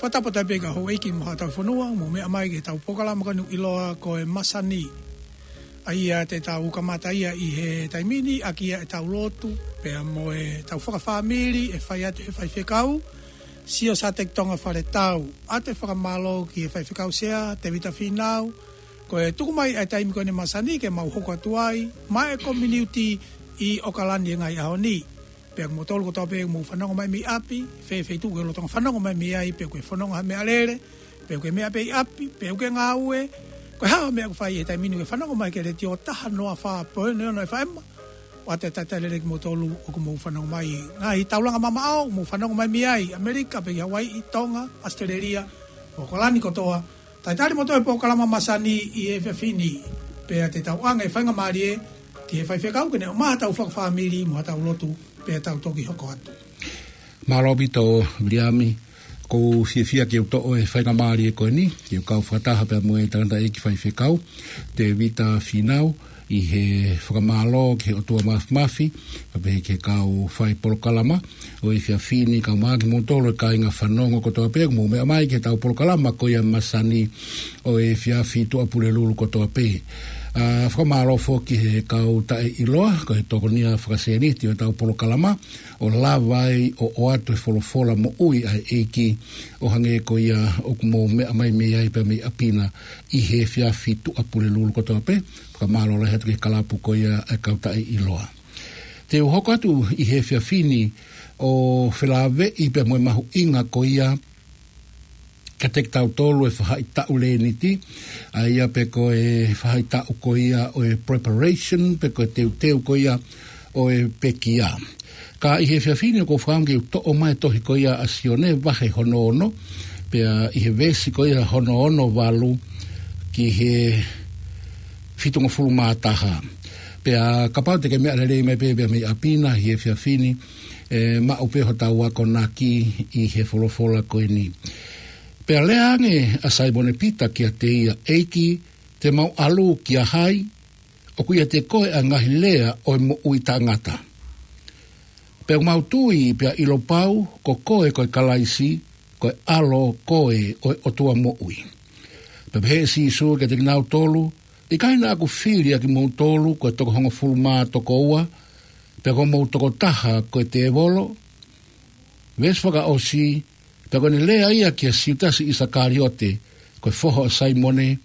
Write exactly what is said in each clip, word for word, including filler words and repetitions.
Fakatapu atu pē ki he houʻeiki mo haʻa tauhi fonua, mou meʻa mai ki heʻetau polokalama ko eni ʻoku ʻiloa ko e Masani. ʻA ia te tau kamata ia ʻi he taimi ni ʻaki ia ʻetau lotu, pea mo ʻetau fakafāmili ʻe fai atu ʻe he faifekau, Siosiua Tonga Faletau. ʻOatu e fakamālō ki he faifekau Sea, Tevita Fīnau, ko e tuku mai ʻa e taimi ko eni Masani ke mau hoko atu ai, maʻa e kominiuti ʻi ʻOkalani he ngaahi ʻaho ni. Pea ko moutolu kotoa pē ʻoku mou fanongo mai mei ʻapi, fē feituʻu ʻoku ke lolotonga fanongo mai mei ai, pe ʻoku ke fononga ha meʻalele, pe ʻoku ke meʻa pē ʻi ʻapi, pe ʻoku ke ngāue, ko e hā ha meʻa ʻoku ke fai he taimi ni ʻoku ke fanongo mai ki he Letiō taha noa fā poini ono F M, ʻoatu e talitali lelei kimoutolu ʻoku mou fanongo mai. Ngaahi taulanga mamaʻo, mou fanongo mai mei ai, ʻAmelika, pe ki Hawaiʻi, Tonga, ʻAositelēlia, ʻOkalani kotoa, talitali moutolu he polokalama Masani ʻi he efiafi ni. Pea te tau ʻoange e faingamālie ki he faifekau ke ne ʻomai haʻatau fakafāmili mo haʻatau lotu, pea tau toki hoko atu. Mālō ʻaupito Viliami, ʻoku ou fiefia ke u toʻo e faingamālie ko eni, ke u kau fakataha pea mo e tangataʻeiki faifekau, Tevita Fīnau, ʻi he fakamālō ki he ʻOtua Māfimafi, pea pehē ki he kau fai polokalama ʻo e efiafi ni, kae ʻumaʻā kimoutolu e kāinga fanongo kotoa pē ʻoku mou meʻa mai ki heʻetau polokalama ko ia Masani ʻo e efiafi Tuʻapulelulu kotoa pē. ʻA, fakamālō foki ki he kau taʻeʻiloa, ko e tokonia fakasēniti ʻo ʻetau polokalama, ʻo lava ai ʻo ʻoatu e folofola moʻui ʻa e ʻEiki, ʻo hangē ko ia ʻoku mou meʻa mai mei ai pea mei ʻapi na ʻi he efiafi Tuʻapulelulu kotoa pē, fakamālō lahi atu ki he kalapu ko ia ʻa e kau taʻeʻiloa. Te u hoko atu ʻi he efiafi ni ʻo felāveʻi pea mo e mahuʻinga ko ia kiate kitautolu e faʻahitaʻu Lēniti, ʻa ia pe ko e faʻahitaʻu ko ia ʻo e preparation, pe ko e teuteu ko ia ʻo e pekia. Ka ʻi he efiafi ni ʻoku ou fakaʻamu ke u toʻo mai e tohi ko ia ʻa Sione vahe hono ono, pea ʻi he veesi ko ia hono ono valu ki he fitungofulu mā taha. Pea kapau te ke meʻa lelei mai pē pea mei ʻapi na ʻi he efiafi ni, ʻe maʻu pē hotau akonaki ʻi he folofola ko eni. Pea lea ange ʻa Saimone Pita kiate ia, ʻEiki, te mau ʻalu kia hai? ʻOku ʻiate koe ʻa e ngaahi lea ʻo e moʻui taʻengata. Pea ʻoku mau tui pea ʻilo pau ko koe ko e Kalaisi, ko e ʻAlo koe ʻo e ʻOtua moʻui. Pea pehē ʻe Sīsū kiate kinautolu, ʻIkai naʻa ku fili ʻa kimoutolu ko e toko hongofulu mā toko ua, pea ko homou tokotaha ko e tēvolo? Veesi fakaʻosi, pea ko ʻene lea ia kia Siutasi ʻIsakaliote, ko e foha ʻo Saimone,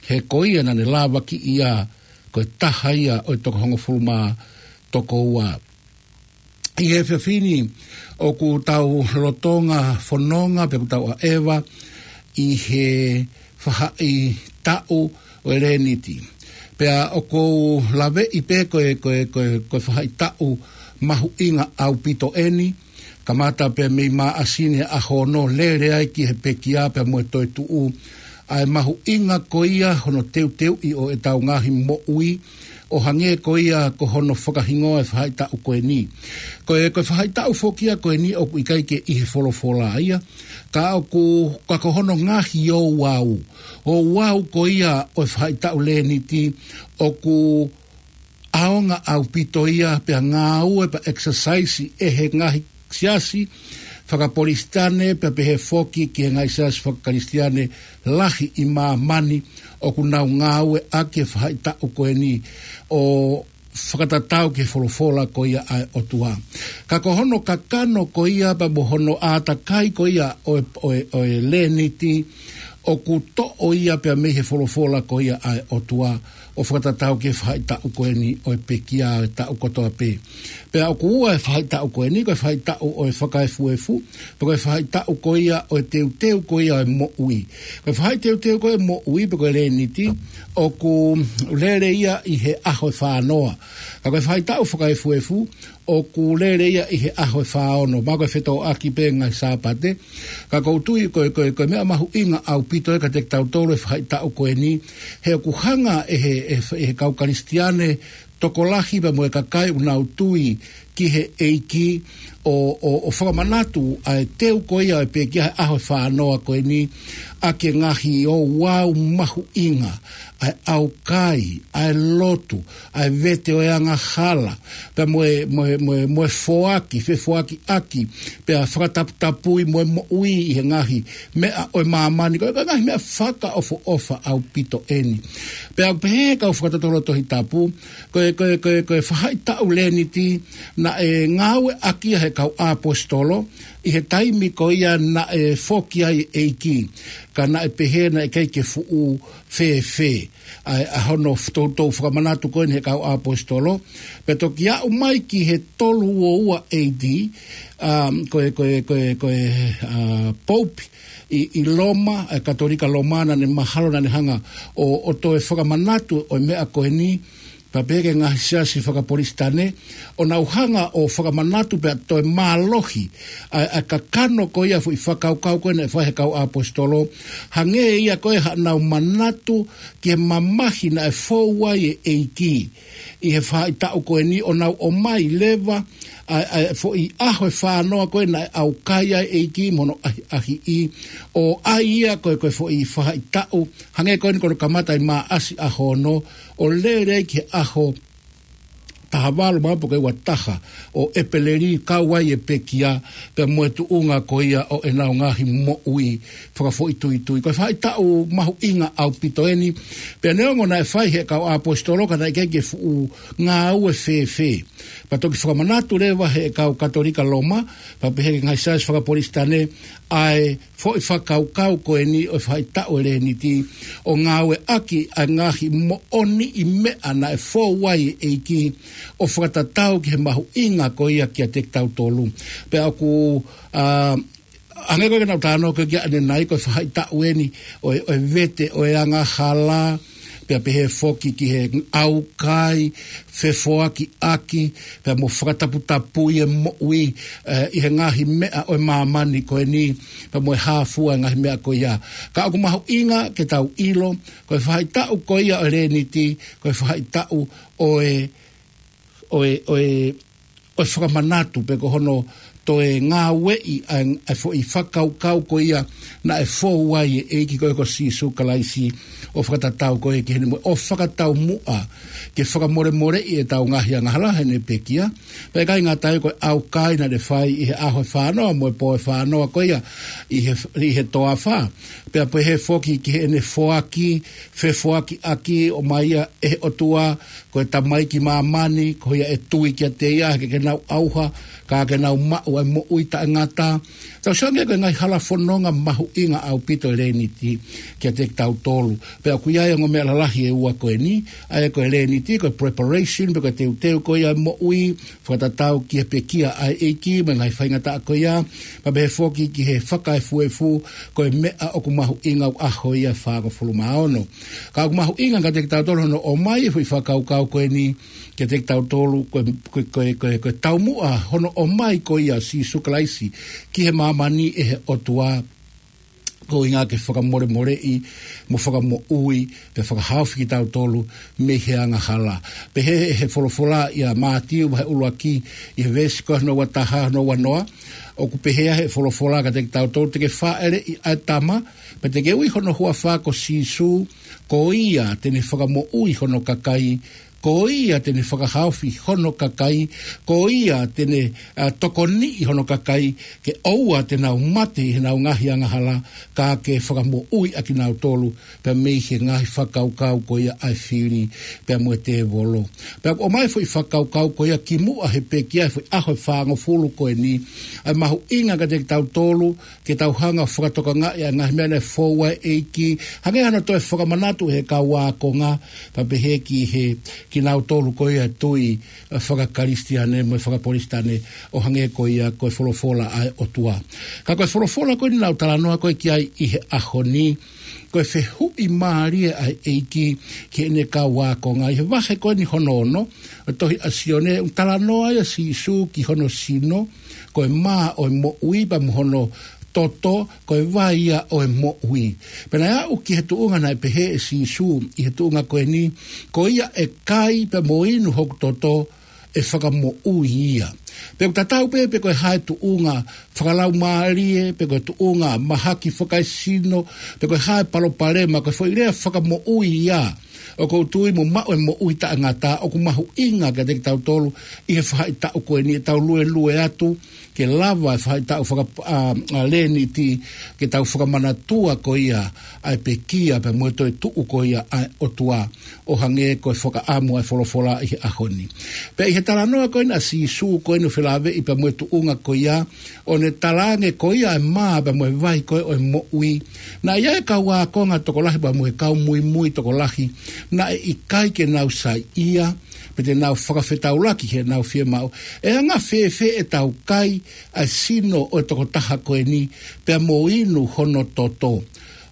he ko ia naʻa ne lavakiʻi ia ko e taha ia ʻo e toko hongofulu mā toko ua. ʻI he efiafi ni ʻoku tau lolotonga fononga pe ʻoku tau ʻaʻeva ʻi he faʻahitaʻu ʻo e Lēniti. Pea ʻoku ou laveʻi pē ko e, ko e, ko e, ko e faʻahitaʻu mahuʻinga ʻaupito eni, kamata pē mei Māʻasi ni ʻaho ono lele ai ki he pekia pea mo e toetuʻu. ʻA e mahuʻinga ko ia hono teuteuʻi ʻo ʻetau ngaahi moʻui, ʻo hangē ko ia ko hono fakahingoa e faʻahitaʻu ko eni. Ko e, ko e faʻahitaʻu foki ia ko eni ʻoku ʻikai ke ʻi he folofola ia, ka ʻoku, ka ko hono ngaahi ouau. Ouau ko ia ʻo e faʻahitaʻu Lēniti ʻoku ʻaonga ʻaupito ia pea ngāue pea exercise ʻe he ngaahi siasi fakaPolesitane pea pehē foki ki he ngaahi siasi fakaKalisitiane lahi ʻi māmani ʻoku nau ngāue ʻaki e faʻahitaʻu ko eni ʻo fakatatau ki he folofola ko ia ʻa e ʻOtua. Ka ko hono kakano ko ia pea mo hono ʻātakai ko ia ʻo e, ʻo e, ʻo e Lēniti ʻoku toʻo ia pea mei he folofola ko ia ʻa e ʻOtua ʻo fakatatau ki he faʻahitaʻu ko eni ʻo e pekia ʻo e taʻu kotoa pē. Pea ʻoku ua e faʻahitaʻu ko eni, ko e faʻahitaʻu ʻo e fakaefuefu, pe ko e faʻahitaʻu ko ia ʻo e teuteu ko ia ʻo e moʻui. Ko e faʻahitaʻu teuteu ko ia ʻo e moʻui, pe ko e Lēniti, ʻoku lele ia ʻi he ʻaho ʻe fā noa. Ka ko e faʻahitaʻu fakaefuefu, ʻoku lele ia ʻi he ʻaho ʻe fā ono, mahalo ko e fetōʻaki pē ngaahi Sāpate. Ka ʻoku ou tui ko e, ko e, ko e meʻa mahuʻinga ʻaupito ē kiate kitautolu e faʻahitaʻu ko eni, he ʻoku hanga ʻe he, ʻe he, ʻe he kau Kalisitiane tokolahi pea mo e kakai ʻoku nau tui ki he ʻEiki ʻo, ʻo, ʻo fakamanatu ʻa e teu ko ia ʻo e pekia he ʻaho ʻe fā noa ko eni ʻaki e ngaahi ouau mahuʻinga ʻa e ʻaukai, ʻa e lotu, ʻa e vete ʻo e angahala, pea mo e, mo e, mo e, mo e foaki, fefoakiʻaki, pea fakataputapui mo e moʻui ʻi he ngaahi meʻa ʻo e māmani, ko e, ko e ngaahi meʻa fakaʻofoʻofa ʻaupito eni. Pea ʻoku pehē ʻe he kau fakatotolo Tohi Tapu, ko e, ko e, ko e, ko e faʻahitaʻu Leniti, naʻe ngāueʻaki ia ʻe he kau ʻaposetolo, ʻi he taimi ko ia naʻe foki ai e ʻEiki, ka naʻe pehē naʻe ʻikai ke fuʻu fēfē ʻa e, ʻa hono toutou fakamanatu ko eni ʻe he kau ʻaposetolo, pea toki aʻu mai ki he tolu ua ua A D, um, ko e, ko e, ko e, ko e, uh, Pope ʻi, ʻi Loma, ʻa e Katolika Loma naʻa ne mahalo naʻa ne hanga ʻo, ʻo toe fakamanatu ʻo e meʻa ko eni, pea pehē ki he ngaahi siasi fakapolisitane, ʻo nau hanga ʻo fakamanatu pea toe mālohi ʻa e, ʻa e kakano ko ia foʻi fakakaukau ko ē naʻe fai ʻe he kau ʻaposetolo, hangē ia ko ē haʻanau manatu ki he mamahi naʻe fou ai e ʻEiki ʻi he faʻahitaʻu ko eni, ʻo nau ʻomai leva ʻa e, ʻa e foʻi ʻaho ʻe fānoa ko ē naʻe ʻaukai ai e ʻEiki mo hono ʻahiʻahiʻi, ʻo ʻai ia ko e, ko e foʻi faʻahitaʻu, hangē ko eni ko hono kamata ʻi Maʻasi ʻaho ono, ʻo lele ai ki he ʻaho taha valu, mahalo pē ʻe ua taha ʻo ʻEpeleli, kau ai e pekia, pea mo e tuʻunga ko ia ʻo ʻenau ngaahi moʻui fakafoʻituitui. Ko e faʻahitaʻu mahuʻinga ʻaupito eni, pea neongo naʻe fai ʻe he kau ʻaposetolo ka naʻe ʻikai ke fuʻu ngāue fēfē. Pea toki fakamanatu leva ʻe he kau Katolika Loma, pea pehē ki he ngaahi siasi fakapolisitane, ʻa e foʻi fakakaukau ko eni ʻo e faʻahitaʻu e Leniti, ʻo ngāueʻaki ʻa e ngaahi moʻoniʻi meʻa naʻe fou ai e ʻEiki, ʻo fakatatau ki he mahuʻinga ko ia kiate kitautolu. Pea ʻoku, ā, hangē ko ē naʻa ku talanoa ko ē ki ai ʻanenai, ko e faʻahitaʻu eni ʻo e, ʻo e vete ʻo e angahala, pea pehē foki ki he ʻaukai, fefoakiʻaki, pea mo fakataputapui e moʻui, ē, ʻi he ngaahi meʻa ʻo e māmani ko eni, pea mo e hā fua e ngaahi meʻa ko ia. Ka ʻoku mahuʻinga ke tau ʻilo, ko e faʻahitaʻu ko ia ʻo e Leniti, ko e faʻahitaʻu ʻo e, ʻo e, ʻo e, ʻo e fakamanatu pe ko hono toe ngāueʻi ʻa e, ʻa e foʻi fakakaukau ko ia naʻe fou ai e ʻEiki ko ē ko Sīsū Kalaisi, ʻo fakatatau ko ē ki heʻene moʻui, ʻo fakataumuʻa ke fakamolemoleʻi ʻetau ngaahi angahala heʻene pekia. Pea ʻikai ngata ai, ko e ʻaukai naʻa ne fai ʻi he ʻaho ʻe fānoa mo e pō ʻe fānoa ko ia ʻi he, ʻi he toafa. Pea pehē foki ki heʻene foaki, fefoakiʻaki, ʻomai ia ʻe he ʻOtua, ko e Tamai ki māmani, ko ia ʻe tui kiate ia, ke, ke nau ʻauha, ka ke nau maʻu ʻa e moʻui taʻengata. Tau sio ange ko e ngaahi hala fononga mahuʻinga ʻaupito e Leniti kiate kitautolu. Pea ʻoku ʻi ai e ongo meʻa lalahi ʻe ua ko eni, ʻa ia ko e Leniti, ko e preparation, pe ko e teuteu ko ia e moʻui, fakatatau ki he pekia ʻa e ʻEiki, mo e ngaahi faingataʻa ko ia, pea pehē foki ki he fakaefuefu, ko e meʻa ʻoku mahuʻinga ʻoku ʻaho ia ʻe fāngofulu mā ono. Ka ʻoku mahuʻinga kiate kitautolu hono ʻomai e foʻi fakakaukau ko eni kiate kitautolu, ko e, ko e, ko e, ko e, ko e taumuʻa hono ʻomai ko ia ʻo Sīsū Kalaisi ki he māmani ʻe he ʻOtua, ko e ʻuhinga ke fakamolemoleʻi, mo fakamoʻui, pea fakahaofi kitautolu mei he angahala. Pehē ʻe he folofola ʻia Mātiu vahe ʻuluaki, ʻi he veesi ko hono ua taha, hono ua noa, ʻoku pehē ʻe he folofola kiate kitautolu, te ke fāʻeleʻi ʻa e tama, pea te ke ui hono huafa ko Sīsū, ko ia te ne fakamoʻui hono kakai, ko ia te ne fakahaofi hono kakai, ko ia te ne, ā, tokoniʻi hono kakai, ke ʻoua te nau mate ʻi heʻenau ngaahi angahala, ka ke fakamoʻui ʻa kinautolu, pea mei he ngaahi fakakaukau ko ia ʻa e fili, pea mo e tēvolo. Pea ʻoku ʻomai e foʻi fakakaukau ko ia kimuʻa he pekia, he foʻi ʻaho ʻe fāngofulu ko eni, ʻa e mahuʻinga kiate kitautolu, ke tau hanga ʻo fakatokangaʻi ʻa e ngaahi meʻa naʻe fou ai e ʻEiki, hangē hano toe fakamanatu ʻe he kau ākonga, pea pehē ki he, kinautolu ko ia tui, ā, fakakalisitiane mo e fakapolisitane, ʻo hangē ko ia ko e folofola ʻa e ʻOtua. Ka ko e folofola ko eni naʻa ku talanoa ko ē ki ai ʻi he ʻaho ni, ko e fehuʻi mālie ʻa e ʻEiki ki heʻene kau ākonga. ʻI he vahe ko eni hono ono ʻo e tohi ʻa Sione, ʻoku talanoa ai ʻa Sīsū ki hono sino, ko e mā ʻo e moʻui, pea mo hono toto, ko e vai ia ʻo e moʻui. Pea naʻe aʻu ki he tuʻunga naʻe pehē ʻe Sīsū ʻi he tuʻunga ko eni, ko ia ʻe kai pea mo inu hoku toto, ʻe fakamoʻui ia. Pea ʻoku tatau pē pe ko e hā e tuʻunga fakalaumālie, pe ko e tuʻunga mahaki fakaesino, pe ko e hā e palopalema, ko e foʻi lea fakamoʻui ia ʻOku ou tui mo maʻu e moʻui taʻengata. ʻOku mahuʻinga kiate kitautolu ʻi he faʻahitaʻu ko eni ʻetau luelue atu ke lava e faʻahitaʻu faka-, ʻa, ʻa Leniti, ke tau fakamanatua ko ia ʻa e pekia pea mo e toetuʻu ko ia ʻa e ʻOtua, ʻo hangē ko e fakaʻamu ʻa e folofola ʻi he ʻaho ni. Pea ʻi he talanoa ko eni ʻa Sīsū ko eni ʻo felāveʻi pea mo e tuʻunga ko ia, ʻo ne talaange ko ia e mā pea mo e vai ko ē ʻo e moʻui. Naʻe ʻi ai e kau ākonga tokolahi pea mo e kau muimui tokolahi naʻe ʻikai ke nau saiʻia, pe te nau fakafetaulaki he nau fiemaʻu. ʻE anga fēfē ʻetau kai ʻa e sino ʻo e tokotaha ko eni, pea mo inu hono toto?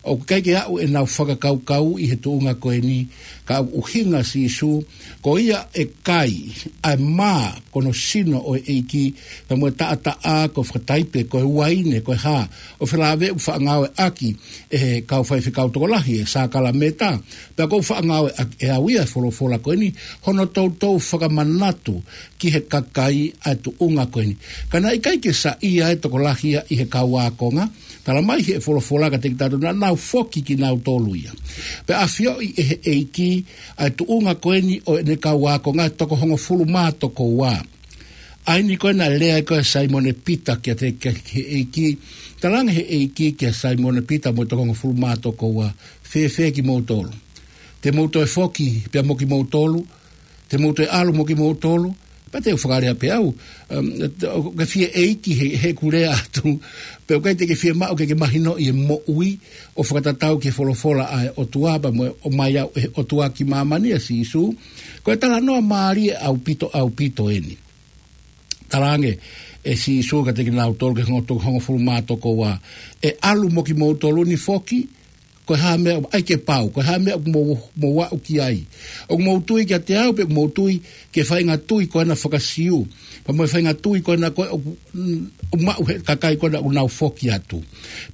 ʻOku ʻikai ke aʻu ʻenau fakakaukau ʻi he tuʻunga ko eni, ka ʻoku ʻuhinga Sīsū, ko ia ʻe kai ʻa e mā, ko hono sino ʻo e ʻEiki, pea mo e taʻataʻa, ko e fakataipe, ko e uaine, ko e hā, ʻo felāveʻi ʻoku faʻa ngāueʻaki ʻe he kau faifekau tokolahi e sākalamēniti, pea ʻoku faʻa ngāueʻaki ʻe au ia e folofola ko eni, hono toutou fakamanatu ki he kakai ʻa e tuʻunga ko eni. Ka naʻe ʻikai ke saiʻia e tokolahi ia ʻi he kau ākonga, talamai ʻe he folofola kiate kitautolu naʻa nau foki kinautolu ia. Pea ʻafioʻi ʻe he ʻEiki ʻa e tuʻunga ko eni ʻo ʻene kau ākonga ʻe toko hongofulu mā toko ua. ʻA eni ko ē naʻe lea ko ē ʻa Saimone Pita kiate, ki he ʻEiki, talaange ʻe he ʻEiki kia Saimone Pita mo e toko hongofulu mā toko ua, fēfē kimoutolu? Te mou toe foki pea mo kimoutolu? Te mou toe ʻalu mo kimoutolu? Pea te u fakalea pē au, um, ʻoku ke fie ʻeiki he, heʻeku lea atu, pea ʻoku ʻikai te ke fiemaʻu ke ke mahinoʻi e moʻui ʻo fakatatau ki he folofola ʻa e ʻOtua pea mo e ʻomai ʻe he ʻOtua ki māmani ʻa Sīsū? Ko e talanoa mālie ʻaupito, ʻaupito eni. Talaange ʻe Sīsū kiate kinautolu, ki he hongo-, toko hongofulu mā toko ua, ʻe ʻalu mo kimoutolu ni foki? Ko e hā e meʻa ʻai ke pau, ko e hā e meʻa ʻoku mou, mou aʻu ki ai? ʻOku mou tui kiate au pe ʻoku mou tui ki he faʻahinga tui ko ena faka-Siu, pea mo e faʻahinga tui ko ena ko ē ʻoku, mm, ʻoku maʻu ʻe he kakai ko ena ʻoku nau foki atu?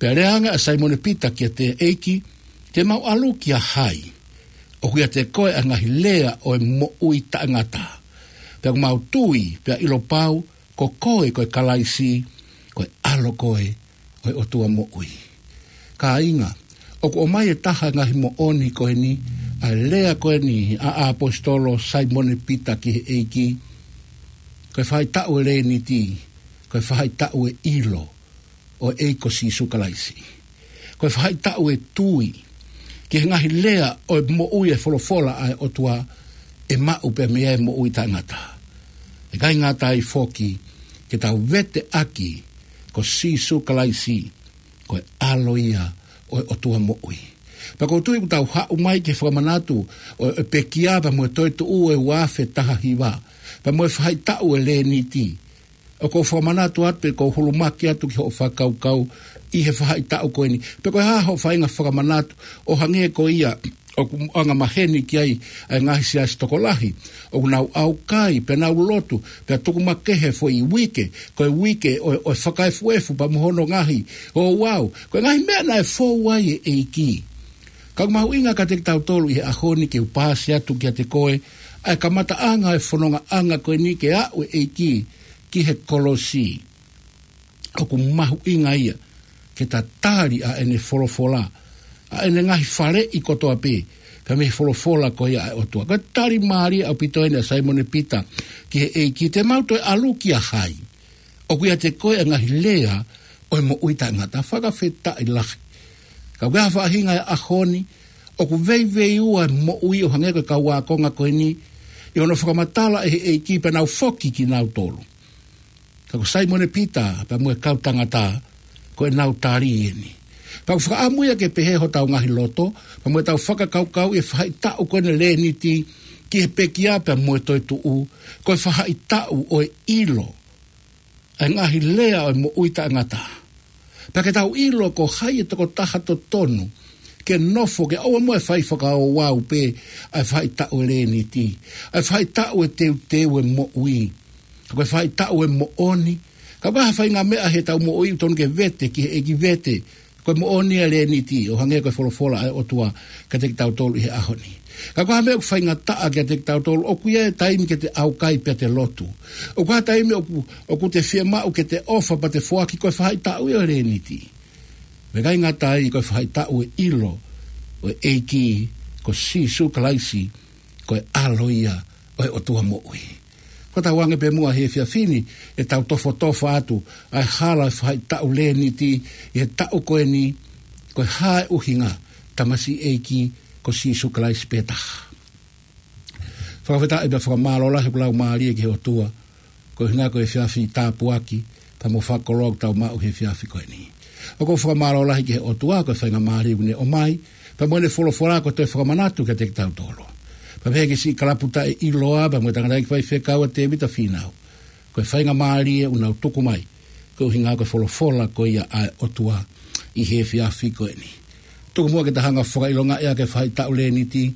Pea lea ange ʻa Saimone Pita kiate ia, ʻEiki, te mau ʻalu kia hai? ʻOku ʻiate koe ʻa e ngaahi lea ʻo e moʻui taʻengata. Pea ʻoku mau tui pea ʻilo pau ko koe ko e Kalaisi, ko e ʻAlo koe ʻo e ʻOtua moʻui. Kāinga, ʻoku ʻomai ʻe he taha e ngaahi moʻoni ko eni, ʻa e lea ko eni ʻa e ʻaposetolo Saimone Pita ki he ʻEiki, ko e faʻahitaʻu e Leniti, ko e faʻahitaʻu e ʻilo ʻo e ʻEiki ko Sīsū Kalaisi. Ko e faʻahitaʻu e tui ki he ngaahi lea ʻo e moʻui e folofola ʻa e ʻOtua, ʻe maʻu pē mei ai e moʻui taʻengata. ʻIkai ngata ai foki, ke tau veteʻaki ko Sīsū Kalaisi, ko e ʻAlo ia ʻo e ʻOtua moʻui. Pea ʻoku ou tui ʻoku tau haʻu mai ki he fakamanatu ʻo e pekia pea mo e toetuʻu ʻo e ua afe taha hiva, pea mo e faʻahitaʻu e Leniti. ʻOku ou fakamanatu atu pe ʻoku ou hulumaki atu ki hoʻo fakakaukau ʻi he faʻahitaʻu ko eni, pe ko e hā hoʻo faʻahinga fakamanatu, ʻo hangē ko ia ʻoku angamaheni ki ai ʻa e ngaahi siasi tokolahi. ʻOku nau ʻaukai, pea nau lotu, pea tuku makehe e foʻi uike ko e uike ʻo, ʻo e fakaefuefu pea mo hono ngaahi ouau. Ko e ngaahi meʻa naʻe fou ai e ʻEiki. Ka ʻoku mahuʻinga kiate kitautolu ʻi he ʻaho ni ke u paasi atu kiate koe ʻa e kamataʻanga e fonongaʻanga ko eni ke aʻu e ʻEiki ki he kolosi. ʻOku mahuʻinga ia ke ta tali ʻa ʻene folofola, ʻa ʻene ngaahi faleʻi kotoa pē, pea mei he folofola ko ia ʻa e ʻOtua. Ko e tali mālie ʻaupito eni ʻa Saimone Pita ki he ʻEiki, te mau toe ʻalu kia hai? ʻOku ʻiate koe ʻa e ngaahi lea ʻo e moʻui taʻengata. Fakafetaʻi lahi. Ka ʻoku ʻi ai ha faʻahinga he ʻaho ni ʻoku veiveiua e moʻui ʻo hangē ko e kau ākonga ko eni, ʻi hono fakamatala ʻe he ʻEiki pea nau foki kinautolu. Ka ko Saimone Pita pea mo e kau tangata, ko ʻenau tali eni. Pea ʻoku fakaʻamu ia ke pehē hotau ngaahi loto pea mo ʻetau fakakaukau ʻi he faʻahitaʻu ko eni e Leniti ki he pekia pea mo e toetuʻu, ko e faʻahitaʻu ʻo e ʻilo ʻa e ngaahi lea ʻo e moʻui taʻengata. Pea ke tau ʻilo ko hai e tokotaha totonu ke nofo, ke ʻoua muʻa ʻe fai fakaouau pē ʻa e faʻahitaʻu e Leniti, ʻa e faʻahitaʻu e teuteu e moʻui. Ka ko e faʻahitaʻu e moʻoni. Ka ko e hā ha faʻahinga meʻa heʻetau moʻui ʻoku totonu ke vete ki he ʻEiki, vete ko e moʻoni e Leniti, ʻo hangē ko e folofola ʻa e ʻOtua kiate kitautolu ʻi he ʻaho ni. Ka ko e hā e meʻa ʻoku faingataʻa kiate kitautolu? ʻOku ʻi ai e taimi ke te ʻaukai pea te lotu. ʻOku ʻi ai e taimi ʻoku, ʻoku te fiemaʻu ke te ʻofa pea te foaki, ko e faʻahitaʻu ia e Leniti. Pea ʻikai ngata ai, ko e faʻahitaʻu e ʻilo ʻo e ʻEiki ko Sīsū Kalaisi, ko e ʻAlo ia ʻo e ʻOtua moʻui. Ko ʻetau ʻoange pē muʻa he efiafi ni, ʻetau tofotofa atu ʻa e hala ʻo e faʻahitaʻu Leniti ʻi he taʻu ko eni, ko e hā e ʻuhinga, tamasiʻi ʻeiki, ko Sīsū Kalaisi pē taha. Fakafetaʻi pea fakamālō lahi hoku laumālie ki he ʻOtua, ko e ʻuhinga ko e efiafi tāpuaki, pea mo fakakoloa ʻoku tau maʻu he efiafi ko eni. ʻOku ou fakamālō lahi ki he ʻOtua, ko e faingamālie ʻoku ne ʻomai, pea mo ʻene folofola ko e toe fakamanatu kiate kitautolu. Pea pehē ki he siʻi kalapu taʻeʻiloa, pea mo e tangataʻeiki faifekau ʻa Tēvita Fīnau. Ko e faingamālie ʻoku nau tuku mai, ko e ʻuhinga ko e folofola ko ia ʻa e ʻOtua ʻi he efiafi ko eni. Tuku muʻa ke ta hanga ʻo fakaʻilongaʻi ʻa e faʻahitaʻu Leniti,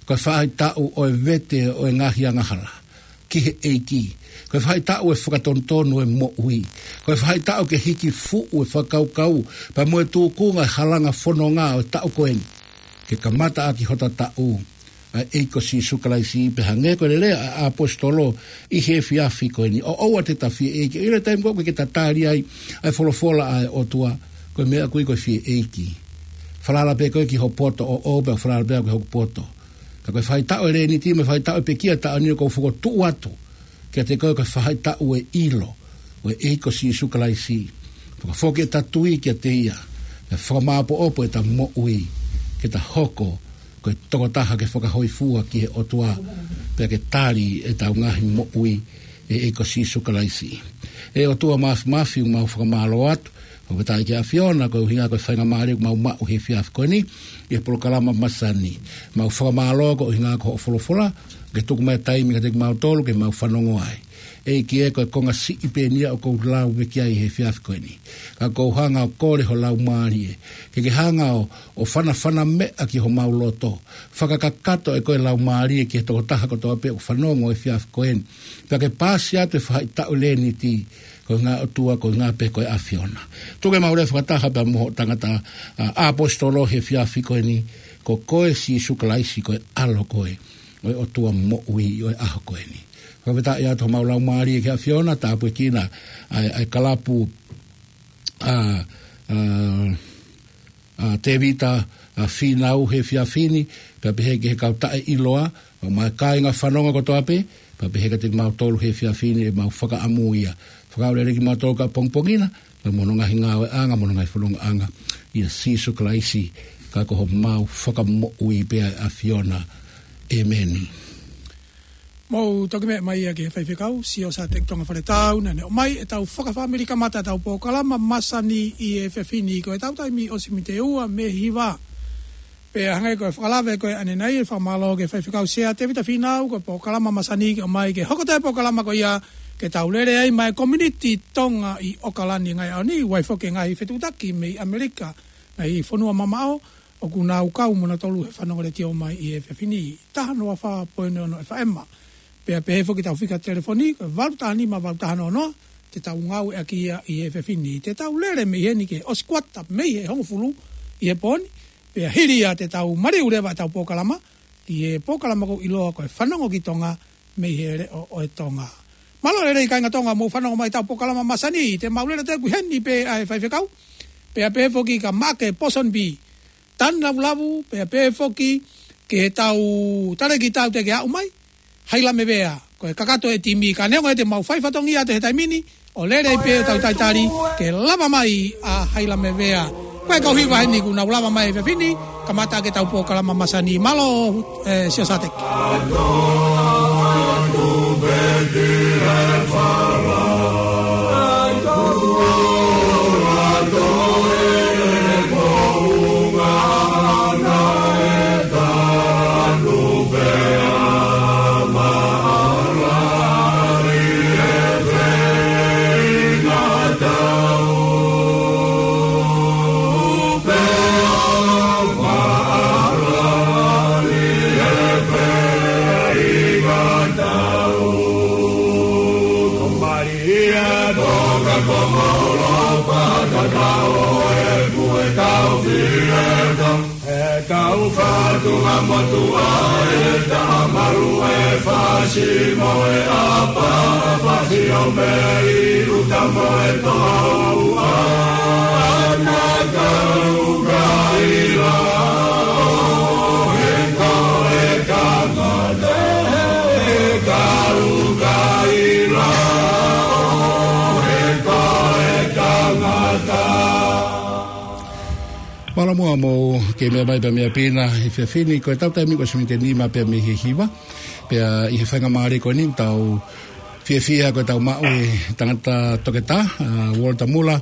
ko e faʻahitaʻu ʻo e vete ʻo e ngaahi angahala ki he ʻEiki. Ko e faʻahitaʻu ʻo e fakatonutonu ʻo e moʻui. Ko e faʻahitaʻu ke hiki fuʻu e fakakaukau, pea mo e tūkunga e halanga fononga ʻo e taʻu ko eni. Ke kamata ʻaki hota taʻu, ʻa e ʻEiki ko Sīsū Kalaisi, pea hangē ko e lea ʻa e ʻaposetolo ʻi he efiafi ko eni. ʻOua te ta fie ʻeiki, ʻi he taimi ko ē ʻoku ke tatali ai ʻa e folofola ʻa e ʻOtua, ko e meʻa ʻoku ui ko e fie ʻeiki. Falala pē koe ki ho poto ʻoʻou, pea u falala pē au ki hoku poto. Ka ko e faʻahitaʻu ʻo e Leniti, mo e faʻahitaʻu ʻo e pekia taʻu ni ʻoku ou fokotuʻu atu kiate koe ko e faʻahitaʻu ʻo e ʻilo ʻo e ʻEiki ko Sīsū Kalaisi. Fakafoki ʻeta tui kiate ia, pea fakamāʻopoʻopo ʻeta moʻui, ke ta hoko ko e tokotaha ke fakahōifua ki he ʻOtua, pea ke tali ʻetau ngaahi moʻui ʻe he ʻEiki ko Sīsū Kalaisi. ʻE ʻOtua Māfimafi, ʻoku mau fakamālō atu, fakafetaʻi ki he ʻAfiona, ko e ʻuhinga ko e faingamālie ʻoku mau maʻu he efiafi ko eni, ʻi he polokalama masani. Mau fakamālō ko e ʻuhinga ko hoʻo folofola, ke tuku mai e taimi kiate kimautolu ke mau fanongo ai. ʻEiki ē, ko e konga siʻi pē eni ia ʻoku ou lau mai ki ai he efiafi ko eni. Ka ʻoku ou hanga ʻo kole ho Laumālie, ke ke hanga ʻo, ʻo fanafana meʻa ki homau loto. Fakakakato ʻe koe Laumālie ki he tokotaha kotoa pē ʻoku fanongo he efiafi ko eni. Pea ke paasi atu e faʻahitaʻu Leniti, ko e ʻuhinga ʻOtua, ko e ʻuhinga pē ko e ʻAfiona. Tuku ke mau lea fakataha pea mo hoʻo tangata, ʻa, ʻaposetolo he efiafi ko eni, ko koe Sīsū Kalaisi ko e ʻAlo koe ʻo e ʻOtua moʻui ʻo e ʻaho ko eni. Fakafetaʻi atu homau laumālie ki he ʻAfiona, tāpuekina ʻa e, ʻa e kalapu, ʻa, ʻa, ʻa Tēvita, ʻa Fīnau he efiafi ni, pea pehē ki he kau taʻeʻiloa, pea mo e kāinga fanongo kotoa pē, pea pehē kiate kimautolu he efiafi ni ʻemau fakaʻamu ia. Fakaʻoleʻole kimautolu ki he pongipongi na, pea mo hono ngaahi ngāueʻanga, mo hono ngaahi fonongaʻanga, ʻia Sīsū Kalaisi, ka ko homau Fakamoʻui pē ʻa e ʻAfiona. ʻĒmeni. Mou toki meʻa mai ia ki he faifekau, Siosiua Teki Tonga Faletau, naʻa ne ʻomai ʻetau fakafāmili kamata ʻetau polokalama masani ʻi he efiafi ni, ko ʻetau taimi ʻosi mei he ua mei he hiva. Pea hangē ko e fakalave ko ē ʻanenai, fakamālō ki he faifekau Sea Tēvita Fīnau, ko e polokalama masani ke ʻomai ke hoko atu e polokalama ko ia ke tau lele ai mo e community Tonga ʻi ʻOkalani ngaahi ʻaho ni, ʻoku ʻi ai foki e ngaahi fetuʻutaki mei ʻAmelika, ngaahi fonua mamaʻo, ʻoku nau kau mo nautolu he fanongo letiō mai ʻi he efiafi ni, taha noa fā poini ono F M. Pea pehē foki ʻetau fika telefoni, ko e valu taha nima valu taha noa noa, te tau ngāueʻaki ia ʻi he efiafi ni. Te tau lele mei heni ki he ʻosi kuata mei he hongofulu ʻi he pō ni, pea hili ia te tau maliu leva ʻetau polokalama, ki he polokalama ʻoku ʻiloa ko e Fanongo ki Tonga, mei he Leʻo ʻo e Tonga. Mālō e lelei kāinga Tonga, mou fanongo mai ʻetau polokalama masani, te mau lele atu ʻi heni pē ʻa e faifekau, pea pehē foki kia Maʻake Pōsonipī Tanulavu, pea pehē foki ki heʻetau talēkita ʻoku teʻeki aʻu mai, Haila Mevea, ko e kakato e timi, ka neongo ia te mau fai fatongia atu he taimi ni, ʻo lele pē ʻo tau talitali ke lava mai ʻa Haila Mevea. Ko e kau hiva heni kuo nau lava mai he efiafi ni, kamata ʻaki ʻetau polokalama masani. Mālō, ē, Siosiua Teki. ʻE tau fatunga motuʻa, ʻe taha malu e fasi mo e ʻapa, fasi ʻo mei ʻuta mo e toʻa ua. Ana tau kaila, ʻo he tau Mālō muʻa mo ke meʻa mai pē meʻa pina he efiafi ni, ko e tau taimi ko e miniti ʻe nima pē mei he hiva. Pea ʻi he faingamālie ko eni ʻoku tau fiefia ko e tau maʻu e tangata toketā, ʻa Walter Muller,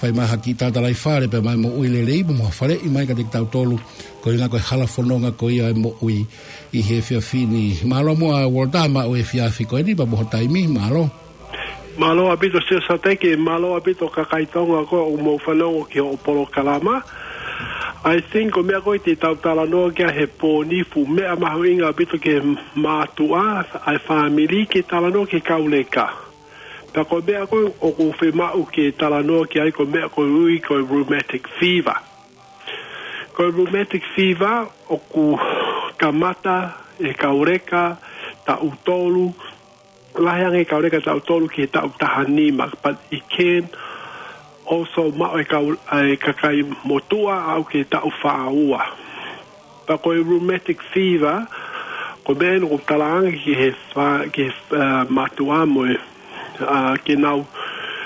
fai mai ha kiʻi tatalaifale pea mo e moʻui lelei mo ha faleʻi mai kiate kitautolu, ko e ʻuhinga ko e hala fononga ko ia e moʻui ʻi he efiafi ni. Mālō muʻa Walter maʻu e efiafi ko eni pea mo ho taimi, mālō. Mālō ʻaupito Sio Sateki, mālō ʻaupito kakai Tonga ko ē ʻoku mou fanongo ki hoʻo polokalama. I think ko e meʻa ko ē te tau talanoa ki ai he pō ni, fuʻu meʻa mahuʻinga ʻaupito ki he mātuʻa, ʻa e fāmili, ke talanoa ki he kau leka. Pea ko e meʻa ko ē ʻoku fiemaʻu ke talanoa ki ai ko e meʻa ko ē ʻoku ui ko e rheumatic fever. Ko e rheumatic fever ʻoku kamata he kau leka taʻu tolu, lahi ange kau leka taʻu tolu ki he taʻu taha nima, but it can also maʻu e kau, e kakai motuʻa aʻu ki he taʻu fā ua. Pea ko e rheumatic fever, ko e meʻa eni ʻoku talaange ki he fa-, ki he, uh, mātuʻa mo e, uh, ke nau,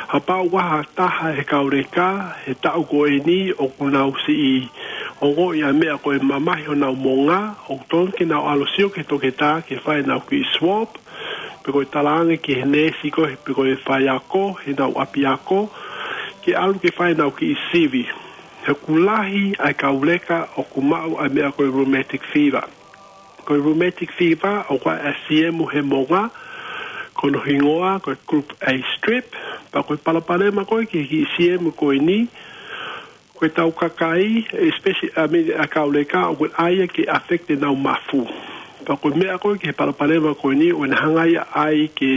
kapau ʻoku ʻi ai ha taha he kau leka he taʻu ko eni ʻoku nau siʻi ongoʻi ʻa e meʻa ko e mamahi honau monga, ʻoku totonu ke nau ʻalu ʻo sio ki he toketā ke fai ʻenau kiʻi swab, pe ko e talaange ki he neesi ko ē, pe ko e faiako heʻenau ʻapiako, ke ʻalu ke fai ʻenau kiʻi sivi. He ʻoku lahi ʻa e kau leka ʻoku maʻu ʻa e meʻa ko e rheumatic fever. Ko e rheumatic fever ʻoku ʻi ai e siemu he monga, ko hono hingoa ko e group A strep, pea ko e palopalema ko ē ki he kiʻi siemu ko eni, ko e tau kakai, especially, I mean, ʻa e kau leka, ʻoku ʻi ai ia ke affect ʻenau mafu. Pea ko e meʻa ko ē ki he palopalema ko eni, ʻoku ne hanga ia ʻai ke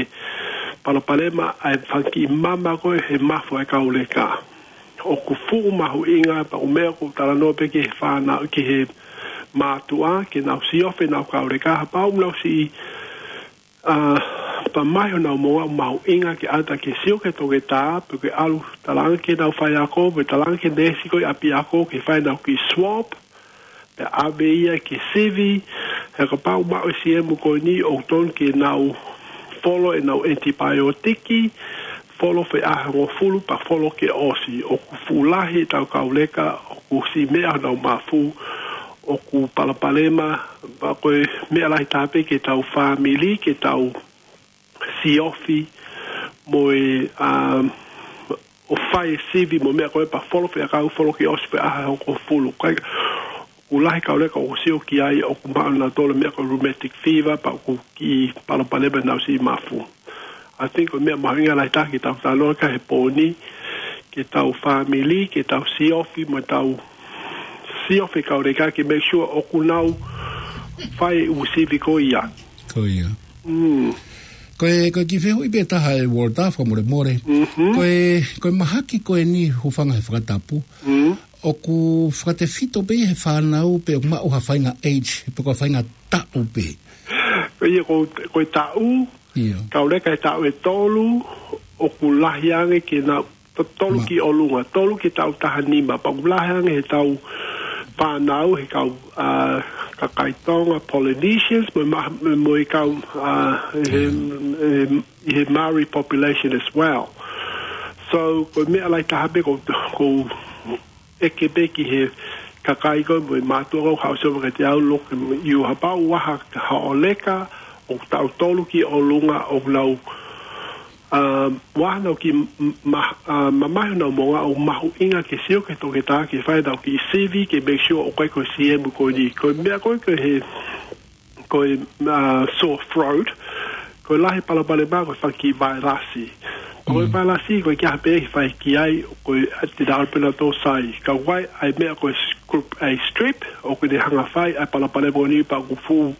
palopalema ʻa e fanga kiʻi mama ko ē he mafu ʻa e kau leka. ʻOku fuʻu mahuʻinga, pea ko e meʻa ʻoku talanoa pē ki he fānau, ki he mātuʻa, ke nau siofi ʻenau kau leka, kapau ʻoku nau siʻi, uh, mamahi honau monga, ʻoku mahuʻinga ke ʻalu atu ke sio ki he toketā, pe ke ʻalu talaange ki heʻenau faiako, pe talaange ki he neesi ko ē ʻapiako, ke fai ʻenau kiʻi swab, pea ʻave ia ke sivi, he kapau ʻoku maʻu e siemu ko eni ʻoku totonu ke nau folo ʻenau ʻenitipaeotiki, folo foʻi ʻaho ʻe hongofulu pea folo ke ʻosi. ʻOku fuʻu lahi ʻetau kau leka ʻoku siʻi meʻa honau mafu, ʻoku palopalema, pea ko e meʻa lahi taha pē ke tau fāmili, ke tau siofi mo e, um, ʻo fai e sivi mo e meʻa ko ē pea folo foʻi ʻakau, folo ke ʻosi foʻi ʻaho ʻe hongofulu. Kae ʻoku lahi kau leka ʻoku sio ki ai ʻoku maʻu ʻe nautolu e meʻa ko e rheumatic fever pea ʻoku kiʻi palopalema ʻenau siʻi mafu. I think ko e meʻa mahuʻinga lahi taha ke tau talanoa ki ai he pō ni, ke tau fāmili, ke tau siofi mo tau siofi kau leka ke make sure ʻoku nau fai e ʻū sivi ko ia. Ko ia. Mm. Ko e, ko e kiʻi fehuʻi pē taha ē Walter, fakamolemole. Mhm. Ko e, ko e mahaki ko eni, hūfanga he fakatapu, mm, ʻoku fakatefito pē ia he fānau pe ʻoku maʻu ha faʻahinga age, pe ko ha faʻahinga taʻu pē? Ko ia ko, ko e taʻu, ia, kau leka he taʻu ʻe tolu, ʻoku lahi ange ke nau to-, tolu, ma- ki ʻolunga, tolu ki he taʻu taha nima, pea ʻoku lahi ange he tau fānau, he kau, uh, kakai Tonga, Polynesians, mo e ma-, mo e kau, uh, he, ia, he, he Maori population as well. So, ko e meʻa lahi taha pē ʻoku, ʻoku ʻeke pē ki he kakai ko ē mo e mātuʻa ko ē ʻoku haʻu ʻo sio mai kiate au, look, ʻi he kapau ʻoku ʻi ai ha, ha ʻoleka ʻoku taʻu tolu ki ʻolunga ʻoku nau, um, ʻoku nau kiʻi m-, ma-, uh, mamahi honau monga, ʻoku mahuʻinga ke sio ki he toketā ke fai ʻenau kiʻi sivi ke make sure ʻoku ʻikai ko e siemu ko eni. Ko e meʻa ko ē ko e he ko e, uh, sore throat, ko e lahi palopalema ko e fanga kiʻi vailasi. Ko e, mm, vailasi ko e kiʻi ʻaho pē ʻe fai ki ai, ko e, uh, te nau pē nautolu ʻo sai. Ka ʻoku ʻi ai e meʻa ko e s-, group A strep, ʻoku ne hanga ʻo fai ʻa e palopalema ko eni pea ʻoku fuʻu,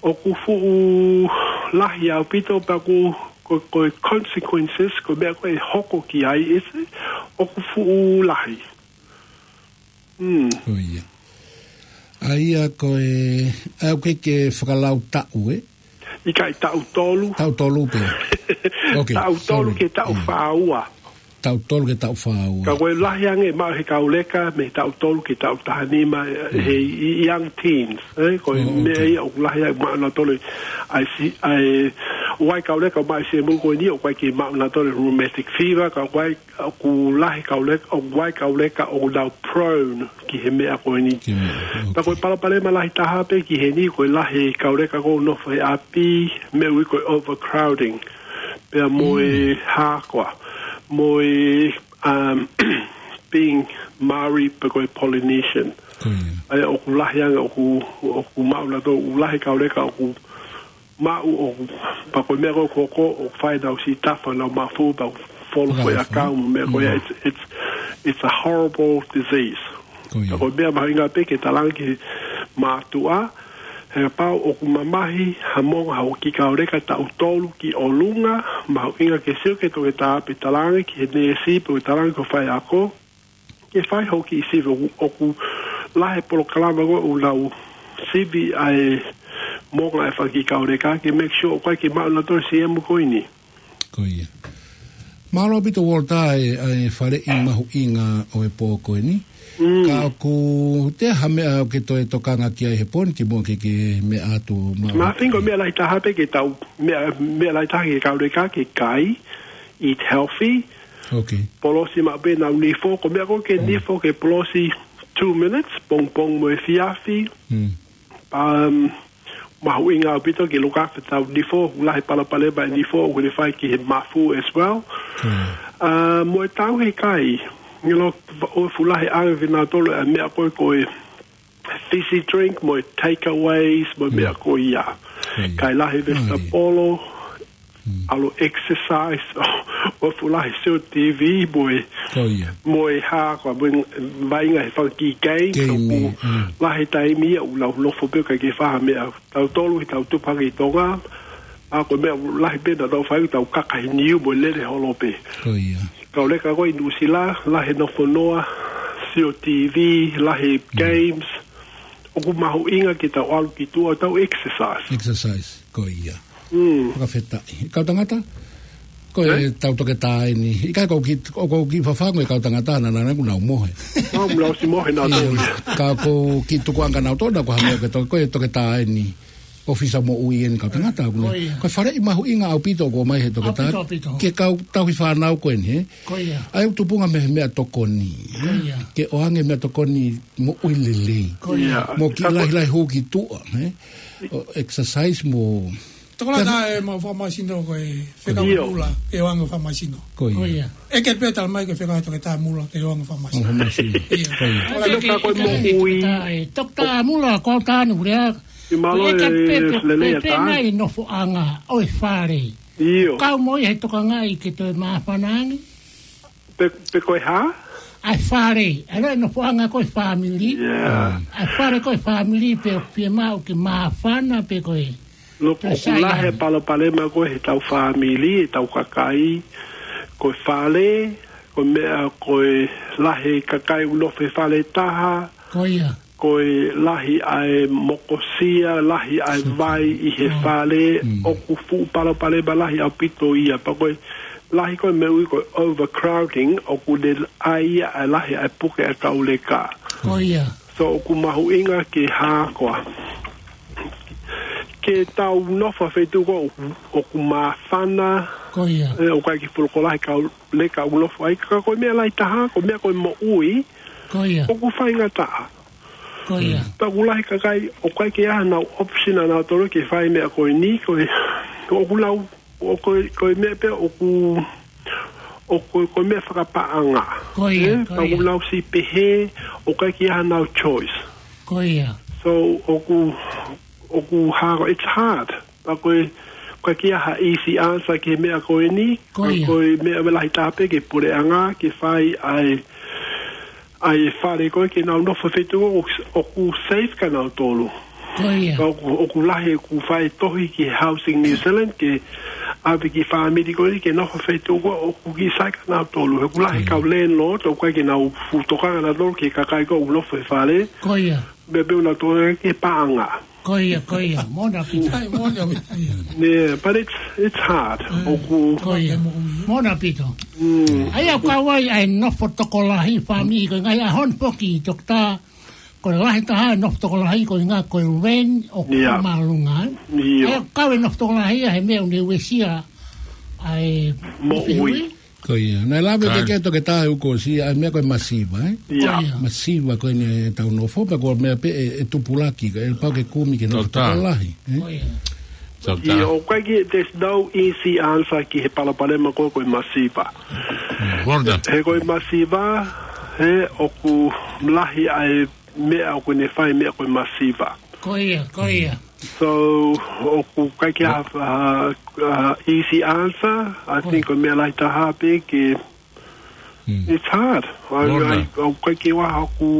ʻoku fuʻu lahi ʻaupito pea ʻoku, ko, ko e consequences, ko e meʻa ko ē ʻe hoko ki ai, ʻoku fuʻu lahi. Mm. Ko ia. ʻA ia ko e, ʻa ia ʻoku ʻikai ke fakalau taʻu, ē? ʻIkai, taʻu tolu. Taʻu tolu pē. Ok, taʻu tolu, sorry, ki he taʻu, ia, fā ua. Taʻu tolu ki he taʻu fā ua. Ka ko e lahi ange maʻu he kau leka, mei he taʻu tolu ki he taʻu taha nima, he i-, young teens, ē? Ko e meʻa ia ʻoku lahi ange maʻu nautolu ʻa e si-, ʻa e, ʻoku ʻi ai kau leka ʻoku maʻu e siʻemu ko eni, ʻoku ʻikai ke maʻu nautolu rheumatic fever, ka ʻoku ʻi ai, ʻoku lahi kau leka, ʻoku ʻi ai kau leka ʻoku nau prone ki he meʻa ko eni. Ki he meʻa, ka ko e palopalema lahi taha pē ki heni, ko e lahi kau leka ʻoku nofo he ʻapi, meʻa ʻoku ui ko e overcrowding. Pea mo e hā koā, mo e, um, being Maori pe ko e Polynesian. Ko ia. ʻA ia ʻoku lahi ange, ʻoku, ʻoku maʻu nautolu, ʻoku lahi kau leka, ʻoku maʻu ʻoku, pea ko e meʻa ko ē ʻoku hoko, ʻoku fai ʻenau siʻi tafa, ʻenau mafu, pea folo ko e ʻakau, meʻa ko ia, it's, it's, it's a horrible disease. Ko ia. Ka ko e meʻa mahuʻinga pē ke talaange ki he mātuʻa, he kapau ʻoku mamahi ha moʻunga ha kiʻi kau leka taʻu tolu ki ʻolunga, mahuʻinga ke sio ki he toketā pe talaange ki he neesi pe talaange ki he faiako, ke fai hoʻo kiʻi sivi. ʻOku, ʻoku lahi e polokalama ko ē ʻoku nau sivi ʻa e moʻunga e fanga kiʻi kau leka ke make sure ʻoku ʻikai ke maʻu nautolu e siʻemu ko eni. Ko ia. Mālō ʻaupito Walter e, e faleʻi mahuʻinga ʻo e pō ko eni. Mm. Ka ʻoku ʻi ai ha meʻa ʻoku ke toe tokanga ki ai he pō ni kimuʻa ke ke meʻa atu ma- Ma think ko e meʻa lahi taha pē ke tau, meʻa, meʻa lahi taha ke kau leka ke kai, eat healthy. Ok. Polosi maʻu pē ʻenau nifo, ko e meʻa ko ē ke nifo ke polosi two minutes, pongipongi mo e efiafi. Mm. Um, mahuʻinga ʻaupito ke look after ʻetau nifo, lahi palopalema e nifo, ʻoku ne fai ki he mafu as well. Mm. Uh, mo e tauhi kai, you know, ʻoku fuʻu lahi ange ʻia nautolu e meʻa ko ē ko e fizzy drink, mo e takeaways, mo e meʻa ko ia. Mm. Kai lahi vesitapolo, ʻalu exercise, ʻoku fuʻu lahi sio T V, mo e, mo e hā koā, mo e vaʻinga he fanga kiʻi game, ʻoku lahi taimi ia ʻoku nau nofo pē ʻikai ke fai ha meʻa. Tautolu ʻi he tau tupu hake ʻi Tonga, ʻa ko e meʻa lahi pē naʻa tau fai, tau kaka he niu mo e lele holo pē. Ko ia. Kau leka ko ē ʻi Nuʻusila, lahi e nofo noa, sio T V, lahi e games, ʻoku mahuʻinga ke tau ʻalu ki tuʻa, tau exercise. Exercise, ko ia. Mm. Fakafetaʻi. Kau tangata, ko e tau toketā eni. ʻIkai ko ki, ʻoku ou kiʻi fafangu e kau tangata, naʻa nau, nau mohe. Nau, nau ʻosi mohe nautolu. Ka ʻoku ou kiʻi tukuange nautolu, ko ha meʻa ke to-, ko e toketā eni. ʻOfisa moʻui eni kau tangata, ʻoku ne. Ko ia. Ko e faleʻi mahuʻinga ʻaupito ʻoku ʻomai he toketā. ʻAupito, ʻaupito. Ke kau tauhi fānau ko eni, ē? Ko ia. ʻA ia ʻoku tupunga mei he meʻatokoni. Ko ia. Ke ʻoange meʻatokoni moʻui lelei. Ko ia. Mo e kiʻi lahilahi hū ki tuʻa, ē? ʻO exercise mo. Tokolahi e mau fakamasino ko e fekau mula, ke ʻoange fakamasino. Ko ia. Ko ia. ʻEke pē talamai ke fekau toketā mula, ke ʻoange fakamasino. Fakamasino. Ia. Ko ia. Toketā mula, ko au tanu, lea. Mālō e lelei atu. Pē nai nofoʻanga ʻo e fale. ʻIo. Kau mo ia he tokangaʻi ke toe māfana ange. Pe, pe ko e hā? ʻA e fale, ʻa e nofoʻanga ko e fāmili. ʻA e fale ko e fāmili pe ʻoku fiemaʻu ke māfana pe ko e. Loku ʻoku lahi e palopalema ko ē he tau fāmili, he tau kakai, ko e fale, ko e meʻa ko e lahi kakai ʻoku nofo he fale taha. Ko ia. Ko e lahi ʻa e mokosia, lahi ʻa e vai ʻi he fale, ʻoku fuʻu palopalema lahi ʻaupito ia. Pea ko e lahi ko e meʻa ʻoku ui ko e overcrowding, ʻoku ne ʻai ia ʻa e lahi ʻa e puke ʻa e kau leka. Ko ia. So ʻoku mahuʻinga ke hā koā. Ke tau nofo he feituʻu ko ē ʻoku, ʻoku māfana. Ko ia. ʻE, ʻoku ʻikai ke fuʻu loko lahi kau leka ʻoku nofo ai, ka ko e meʻa lahi taha, ko e meʻa ko e moʻui. Ko ia. ʻOku faingataʻa. Ko ia. Pea ʻoku lahi kakai, ʻoku ʻikai ke ʻi ai hanau option ʻanautolu ke fai meʻa ko eni, ko e, ʻoku lau, ʻo ko e, ko e meʻa pē ʻoku, ʻoku, ko e meʻa fakapaʻanga. Ko ia, ē, ko ia. Pea ʻoku lau siʻi pehē, ʻoku ʻikai ke ʻi ai hanau choice. Ko ia. So, ʻoku, ʻoku hā, it's hard. Pea ko e, ʻoku ʻikai ke ʻi ai ha easy answer ki he meʻa ko eni. Ko ia. Ko e meʻa lahi taha pē ki he puleʻanga, ke fai ʻa e, ʻa e fale ko ē ke nau nofo he feituʻu ʻoku, ʻoku safe kia nautolu. Ko ia. Pea ʻoku, ʻoku lahi ʻoku fai tohi ki he Housing New Zealand ke ʻave kiʻi fāmili ko ē ke nofo he feituʻu ko ē ʻoku kiʻi sai kia nautolu. He ʻoku lahi kau landlord, ʻoku ʻikai ke nau fuʻu tokanga nautolu ki he kakai ko ē ʻoku nofo he fale. Ko ia. Meʻa pē ʻoku nau tokanga ki he paʻanga. Ko ia, ko ia. Moʻoni ʻaupito. ʻAi, moʻoni ʻaupito. Yeah, but it's, it's hard. ʻOku, ko ia. Moʻoni ʻaupito. Mm. ʻA ia ʻoku kau ai ʻa e nofo tokolahi, fāmili, ko e ngaahi ʻaho ni foki, Toketā, ko e lahi taha e nofo tokolahi, ko e ngaahi, ko e rent ʻoku, yeah, māʻolunga, ē? Yeah. ʻA ia ʻoku kau e nofo tokolahi ʻa e meʻa ʻoku ne uesia ʻa e moʻui. Moʻui. Ko ia. Naʻe lave pē ke Toketā he uike kuo ʻosi ʻa e meʻa ko e masiva, ē? Ia. Ko ia. Masiva ko eni ʻetau nofo, pea ko e meʻa pē ʻe, ʻe tupulaki, ʻe pau ke kumi ke nofo tokolahi, ē? Ko ia. Ia, ʻoku ʻikai ke, there's no easy answer ki he palopalema ko, ko e masiva. Walter. He ko e masiva, he ʻoku lahi ʻa e meʻa ʻoku ne fai meʻa ko e masiva. Ko ia, ko ia. So, ʻoku ʻikai ke ʻi ai ha, ha, ha easy answer. I think ko e meʻa lahi taha pē ke, it's hard. ʻOku ʻikai ke ʻi ai haku,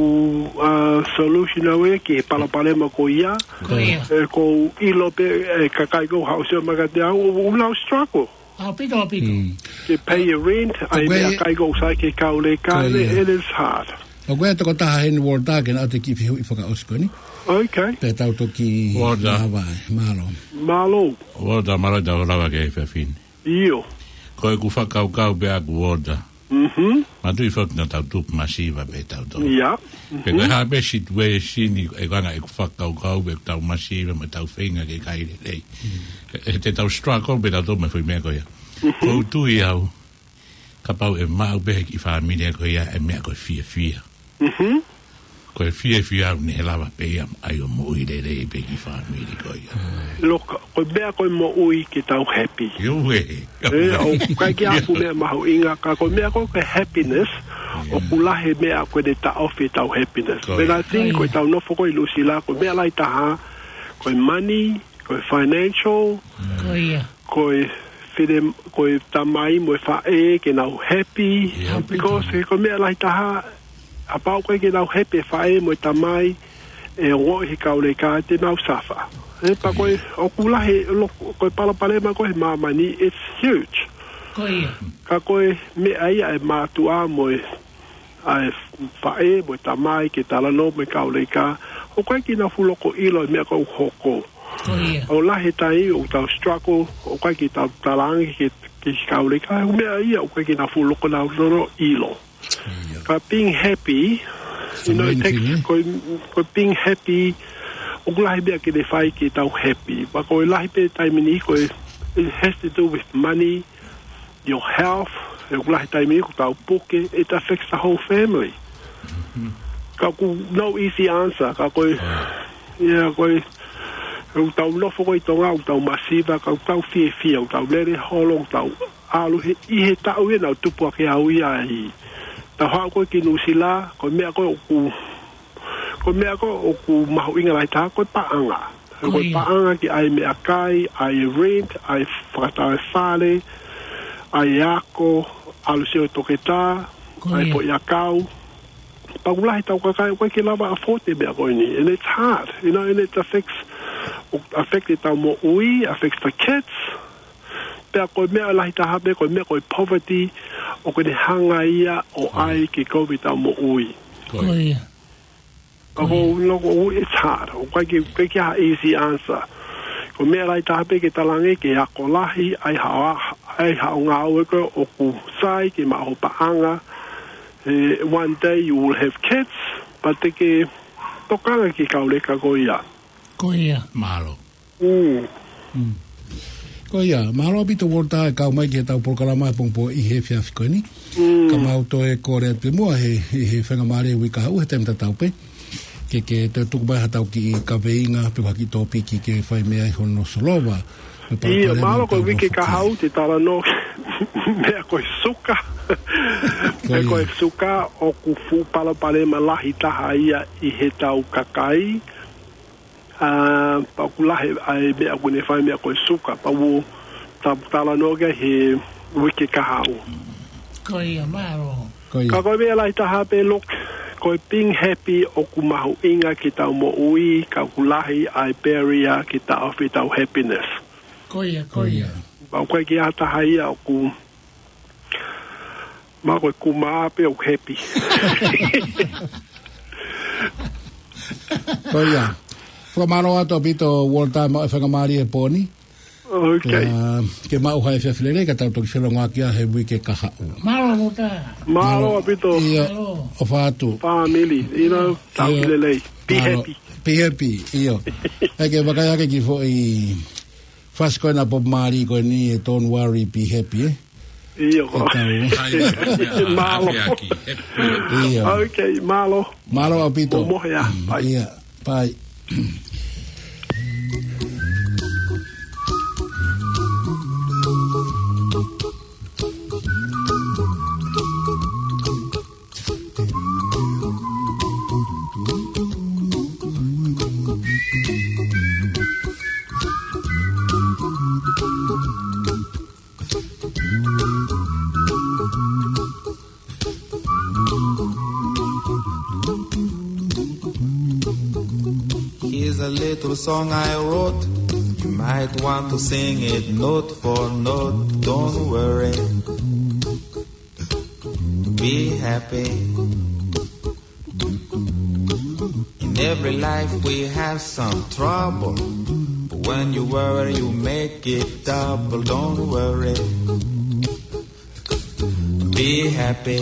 uh, solution au ia ki he palopalema ko ia. Ko ia. ʻOku ou ʻilo pē, ʻe kakai ko ē ʻoku haʻu ʻo sio mai kiate au, ʻoku nau struggle. ʻAupito, ʻaupito. Ke pay e rent, ʻa e meʻakai ko ē ʻoku sai ki he kau leka, it is hard. ʻOku ʻi ai e tokotaha heni, Walter, ke na ʻoatu e kiʻi fehuʻi fakaʻosi ko eni. Okay. Pea tau toki lava ai. Mālō. Mālō. Walter, mālō ʻetau lava ki he efiafi ni. ʻIo. Ko ʻeku fakakaukau pē ʻaʻaku, Walter. Mhm. Manatuʻi foki naʻa tau tupu masiva pē tautolu. Ia. Pe ko e hā pē e situation ʻi he anga ʻeku fakakaukau pe ʻoku tau masiva mo tau feinga ke kai lelei. ʻE, ʻe te tau struggle pē tautolu mo e foʻi meʻa ko ia. Mhm. ʻOku ou tui au, kapau ʻe maʻu pē he kiʻi fāmili ko ia e meʻa ko e fiefia. Mhm. Ko e fiefia ʻoku ne lava pē ia ʻa e moʻui lelei pē ki he fāmili ko ia. Look, ko e meʻa ko e moʻui ke tau happy. ʻIo, ē. ʻE, ʻoku ʻikai ke ʻi ai ha meʻa mahuʻinga, ka ko e meʻa ko e happiness, ʻoku lahi e meʻa ʻoku ne taʻofi ʻetau happiness. Ko ia. But I think ko ʻetau nofo ko ē ʻi Nuʻusila, ko e meʻa lahi taha, ko e money, ko e financial, ko ia, ko e file, ko e tamai mo e faʻē ke nau happy. Ia. Because he ko e meʻa lahi taha, kapau ʻoku ʻikai ke nau happy e faʻē mo e tamai, ʻe ongoʻi he kau leka te nau suffer. ʻE, pea ko e, ʻoku lahi, look, ko e palopalema ko ē he māmani, it's huge. Ko ia. Ka ko e meʻa ia ʻa e mātuʻa mo e, ʻa e faʻē mo e tamai ke talanoa mo e kau leka, ʻoku ʻikai ke nau fuʻu loko ʻilo e meʻa ʻoku hoko. Ko ia. ʻOku lahi e taimi ʻoku tau struggle, ʻoku ʻikai ke tau talaange ki he, ki he kau leka, ʻa e meʻa ia ʻoku ʻikai ke nau fuʻu loko nau lolo ʻilo. Ia. Ka being happy, you know, it takes, ko e, ko e being happy, ʻoku lahi e meʻa ke ne fai ke tau happy. Pea ko e lahi pē taimi ni ko e, it has to do with money, your health, ʻoku lahi taimi ʻoku tau puke, it affects the whole family. Ka ʻoku no easy answer, ka ko e, ia, ko e, ʻoku tau nofo ko ē ʻi Tonga, ʻoku tau masiva, ka ʻoku tau fiefia, ʻoku tau lele holo, ʻoku tau ʻalu he, ʻi he taʻu ia naʻa ku tupu hake au ia ai. Tau haʻu ko ē ki Nuʻusila, ko e meʻa ko ē ʻoku, ko e meʻa ko ē ʻoku mahuʻinga lahi taha, ko e paʻanga. Ko e paʻanga ke ʻai e meʻakai, ʻai e rent, ʻai e fakatau e fale, ʻai e ako, ʻalu ʻo sio ki he toketā, ʻai e foʻi ʻakau. Pea ʻoku lahi ʻetau kakai ʻoku ʻikai ke lava ʻo afford e meʻa ko eni. And it's hard, you know, and it affects, affect ʻetau moʻui, affects the kids. Pea ko e meʻa lahi taha pē, ko e meʻa ko e poverty, ʻoku ne hanga ia ʻo ʻai ke kovi ʻetau moʻui. Ko ia. Ka ko e, no, ko e, it's hard. ʻOku ʻikai ke, ʻikai ke ʻi ai ha easy answer. Ko e meʻa lahi taha pē ke talaange ke ako lahi, ʻai haʻo, ʻai haʻo ngāue ko ē ʻoku sai ke maʻu ho paʻanga. Eh, one day you will have kids, but te ke tokanga ki he kau leka ko ia. Ko ia. Mālō. Mm. Mm. Ko ia, mālō ʻaupito Walter e kau mai ki heʻetau polokalama he pongipongi ʻi he efiafi ko eni. Mm. Ka mau toe kole atu pē muʻa he, he, he faingamālie uike kahaʻu he taimi tatau pē. Ke, ke toe tuku mai haʻatau kiʻi kaveinga pe ko ha kiʻi tōpiki ke fai mei ai hono solova. ʻIo, mālō ko e uike kahaʻu te talanoa meʻa ko e suka. Ko ia. Meʻa ko e suka ʻoku fuʻu palopalema lahi taha ia ʻi heʻetau kakai. ʻA, pea ʻoku lahi ʻa e meʻa ʻoku ne fai meʻa ko e suka, pea ʻoku ta-, talanoa ki ai he uike kahaʻu. Ko ia, mālō. Ko ia. Ka ko e meʻa lahi taha pē, look, ko e being happy ʻoku mahuʻinga ki heʻetau moʻui, ka ʻoku lahi ʻa e barrier ke taʻofi ʻetau happiness. Ko ia, ko ia. Pea ʻoku ʻikai ke ʻi ai ha taha ia ʻoku, ma ko e kuma pē ʻoku happy. Ko ia. Fakamālō atu ʻaupito Walter maʻu e faingamālie he pō ni. Okay. Ke maʻu ha efiafi lelei ka tau toki selongoaki ia he uike kahaʻu. Mālō Walter. Mālō ʻaupito. ʻIo. Mālō. ʻOfa atu. Family, you know, tau ki lelei. Be happy. Be happy, ʻio. ʻAi ke vakai ake ki he foʻi fasi ko ena Bob Marley ko eni e Don't Worry, Be Happy, ē? ʻIo. Mālō. ʻIo. Okay, mālō. Mālō ʻaupito. Momohe ā. Bye. ʻIo, bye. Here's a little song I wrote. You might want to sing it note for note. Don't worry. Be happy. In every life we have some trouble. But when you worry, you make it double. Don't worry. Be happy.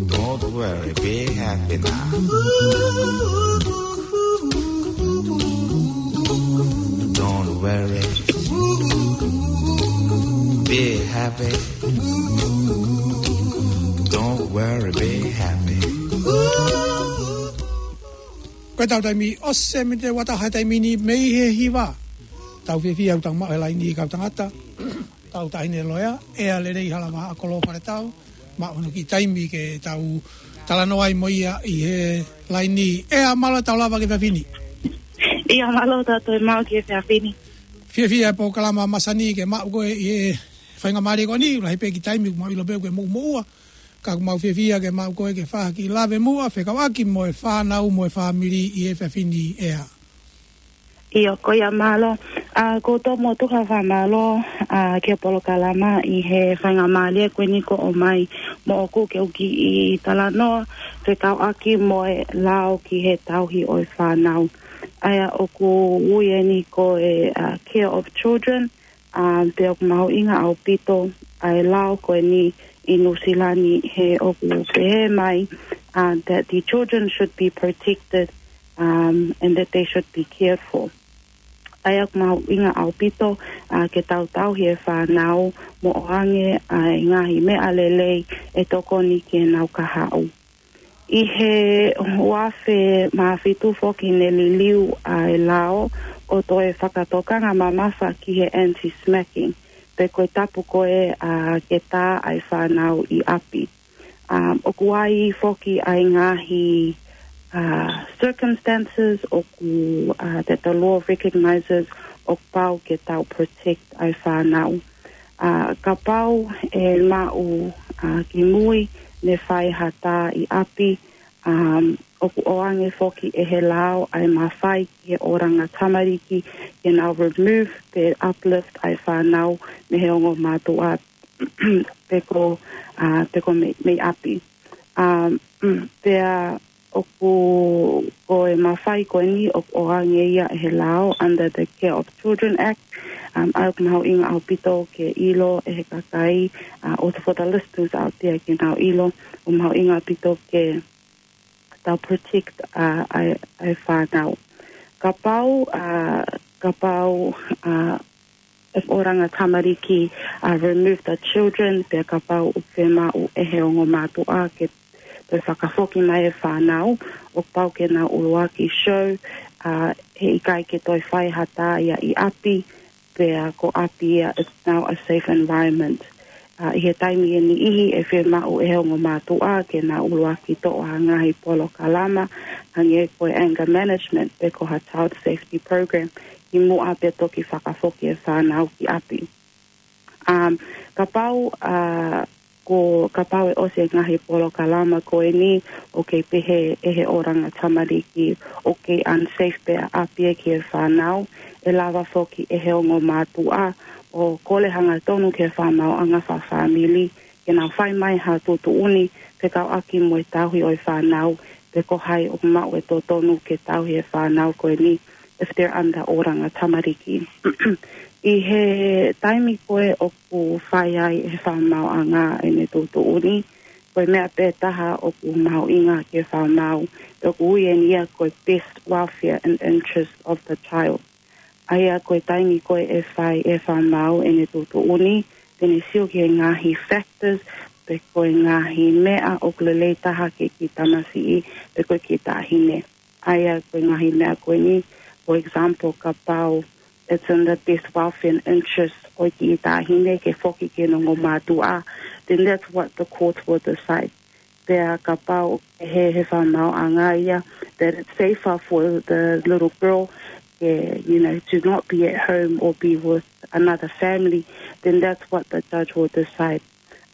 Don't worry. Be happy now. Don't worry. Be happy. Don't worry, be happy. Ko e tau taimi ʻosi e miniti ua taha he taimi ni mei he hiva. Tau fiefia ʻoku tau maʻu e laini kau tangata. Tau taʻahine loea, ʻEa Lelei Halavaha Akolo Faletau. Maʻu hono kiʻi taimi ke tau talanoa ai mo ia ʻi he laini. ʻEa, mālō e tau lava ki he efiafi ni. ʻIo, mālō tautolu e maʻu ki he efiafi ni. Fiefia e polokalama masani ke maʻu koe ʻi he faingamālie ko eni, lahi pē kiʻi taimi, ʻoku mau ʻilo pē ʻoku ke moʻumoʻua. Ka ʻoku mau fiefia ke maʻu koe ke fai ha kiʻi lave muʻa, fekauʻaki mo e fānau mo e fāmili ʻi he efiafi ni, ʻEa. ʻIo, ko ia mālō. ʻA, ko Tomo Tuha fakamālō, ʻa, ki he polokalama ʻi he faingamālie ko eni kuo ʻomai moʻoku ke u kiʻi talanoa, fekauʻaki mo e lao ki he tauhi ʻo e fānau. ʻA ia ʻoku ui eni ko e, ʻa, care of children, ʻa, pea ʻoku mahuʻinga ʻaupito ʻa e lao ko eni ʻi Nuʻusila ni he ʻoku pehē mai, ʻa, that the children should be protected, um, and that they should be cared for. ʻA ia ʻoku mahuʻinga ʻaupito, ʻa, ke tau tauhi e fānau mo ʻoange ʻa e ngaahi meʻa lelei ʻe tokoni ki heʻenau kahaʻu. ʻI he ua afe mā fitu foki ne liliu ʻa e lao ʻo toe fakatokanga mamafa ki he anti-smacking, pe ko e tapu ko ē, ʻa, ke tā ʻa e fānau ʻi ʻapi. Um, ʻoku ʻi ai foki ʻa e ngaahi, ʻa, circumstances ʻoku, ʻa, that the law recognizes ʻoku pau ke tau protect ʻa e fānau. ʻA, kapau ʻe maʻu, ʻa, ki mui ne fai ha tā ʻi ʻapi, um, ʻoku ʻoange foki ʻe he lao ʻa e mafai ki he ʻōlanga tamariki ke nau remove pe uplift ʻa e fānau mei he ongo mātuʻa pe ko, ʻa, pe ko mei, mei ʻapi. Um, pea ʻoku, ko e mafai ko eni ʻoku ʻoange ia ʻe he lao under the Care of Children Act, um, ʻa ia ʻoku mahuʻinga ʻaupito ke ʻilo ʻe he kakai, ʻa, or for the listeners out there ke nau ʻilo, ʻoku mahuʻinga ʻaupito ke tau protect, ʻa, ʻa e, ʻa e fānau. Kapau, ʻa, kapau, ʻa, ʻe ʻōlanga tamariki, ʻa, remove the children, pea kapau ʻoku fiemaʻu ʻe he ongo mātuʻa ke toe fakafoki mai e fānau, ʻoku pau ke nau ʻuluaki show, ʻa, heʻikai ke toe fai ha tā ia ʻi ʻapi, pea ko ʻapi ia, it's now a safe environment. ʻA, ʻi he taimi ʻe niʻihi ʻe fiemaʻu ʻe he ongo mātuʻa ke nau ʻuluaki toʻo ha ngaahi polokalama, hangē ko e anger management, pe ko ha child safety program, kimuʻa pea toki fakafoki e fānau ki ʻapi. Um, kapau, ʻa, ko kapau ʻe ʻosi e ngaahi polokalama ko eni, ʻoku kei pehē ʻe he ʻōlanga tamariki ʻoku kei unsafe pē ʻapi ē ki he fānau, ʻe lava foki ʻe he ongo mātuʻa ʻo kole hangatonu ki he fakamaauʻanga fakafāmili ke nau fai mai ha tuʻutuʻuni fekauʻaki mo e tauhi ʻo e fānau, pe ko hai ʻoku maʻu e totonu ke tauhi e fānau ko eni, if they're under oranga tamariki. ʻI he taimi ko ē ʻoku fai ai ʻe he fakamaauʻanga ʻene tuʻutuʻuni, ko e meʻa pē taha ʻoku mahuʻinga ki he fakamaau, ʻoku ui eni ia ko e best welfare and interest of the child. ʻA ia ko e taimi ko ē ʻe fai ʻe he fakamaau ʻene tuʻutuʻuni, te ne sio ki he ngaahi factors, pe ko e ngaahi meʻa ʻoku lelei taha ki he kiʻi tamasiʻi, pe ko e kiʻi taʻahine. ʻA ia ko e ngaahi meʻa ko eni, for example, kapau it's in the best welfare and interest ʻo e kiʻi taʻahine ke foki ki heʻene ongo mātuʻa, then that's what the court will decide. Pea kapau ʻe pehē ʻe he fakamaauʻanga ia that it's safer for the little girl, yeah, you know, to not be at home or be with another family, then that's what the judge will decide.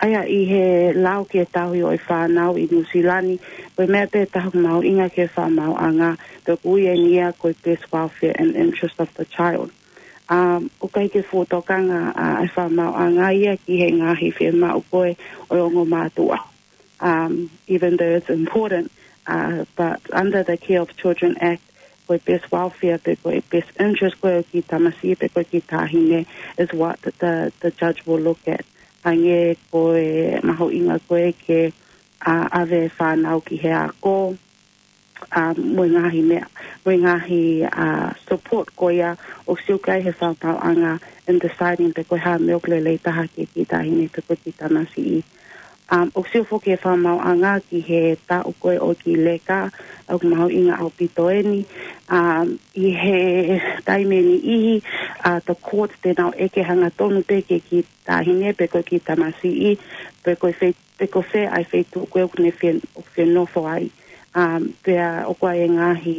ʻA ia ʻi he lau ki he tauhi ʻo e fānau ʻi Nuʻusila ni, ko e meʻa pē taha ʻoku mahuʻinga ki he fakamaauʻanga, pea ʻoku ui eni ia ko e best welfare and interest of the child. Um, ʻoku ʻikai ke fuʻu tokanga ʻa e fakamaauʻanga ia ki he ngaahi fiemaʻu ko ē ʻo e ongo mātuʻa. Um, even though it's important, uh, but under the Care of Children Act, ko e best welfare pe ko e best interest ko ē ʻo e kiʻi tamasiʻi pe ko e kiʻi taʻahine is what the, the, the judge will look at. Hangē ko e mahuʻinga ko ē ke, uh, ʻave e fānau ki he ako, um, mo e ngaahi meʻa, mo e ngaahi, uh, support ko ia ʻoku sio ki ai ʻe he fakamaauʻanga in deciding pe ko e hā e meʻa ʻoku lelei taha ki he kiʻi taʻahine pe ko e kiʻi tamasiʻi. Um, ʻoku sio foki ʻe he fakamaauʻanga ki he taʻu ko ē ʻo e kiʻi leka, ʻoku mahuʻinga ʻaupito eni. Um, ʻi he taimi ʻe niʻihi, uh, the court te nau ʻeke hangatonu pē ki he kiʻi taʻahine pe ko e kiʻi tamasiʻi, pe ko e fei-, pe ko fē ʻa e feituʻu ko ē ʻoku ne fie-, ʻoku fie nofo ai. Um, pea ʻoku ʻi ai e ngaahi,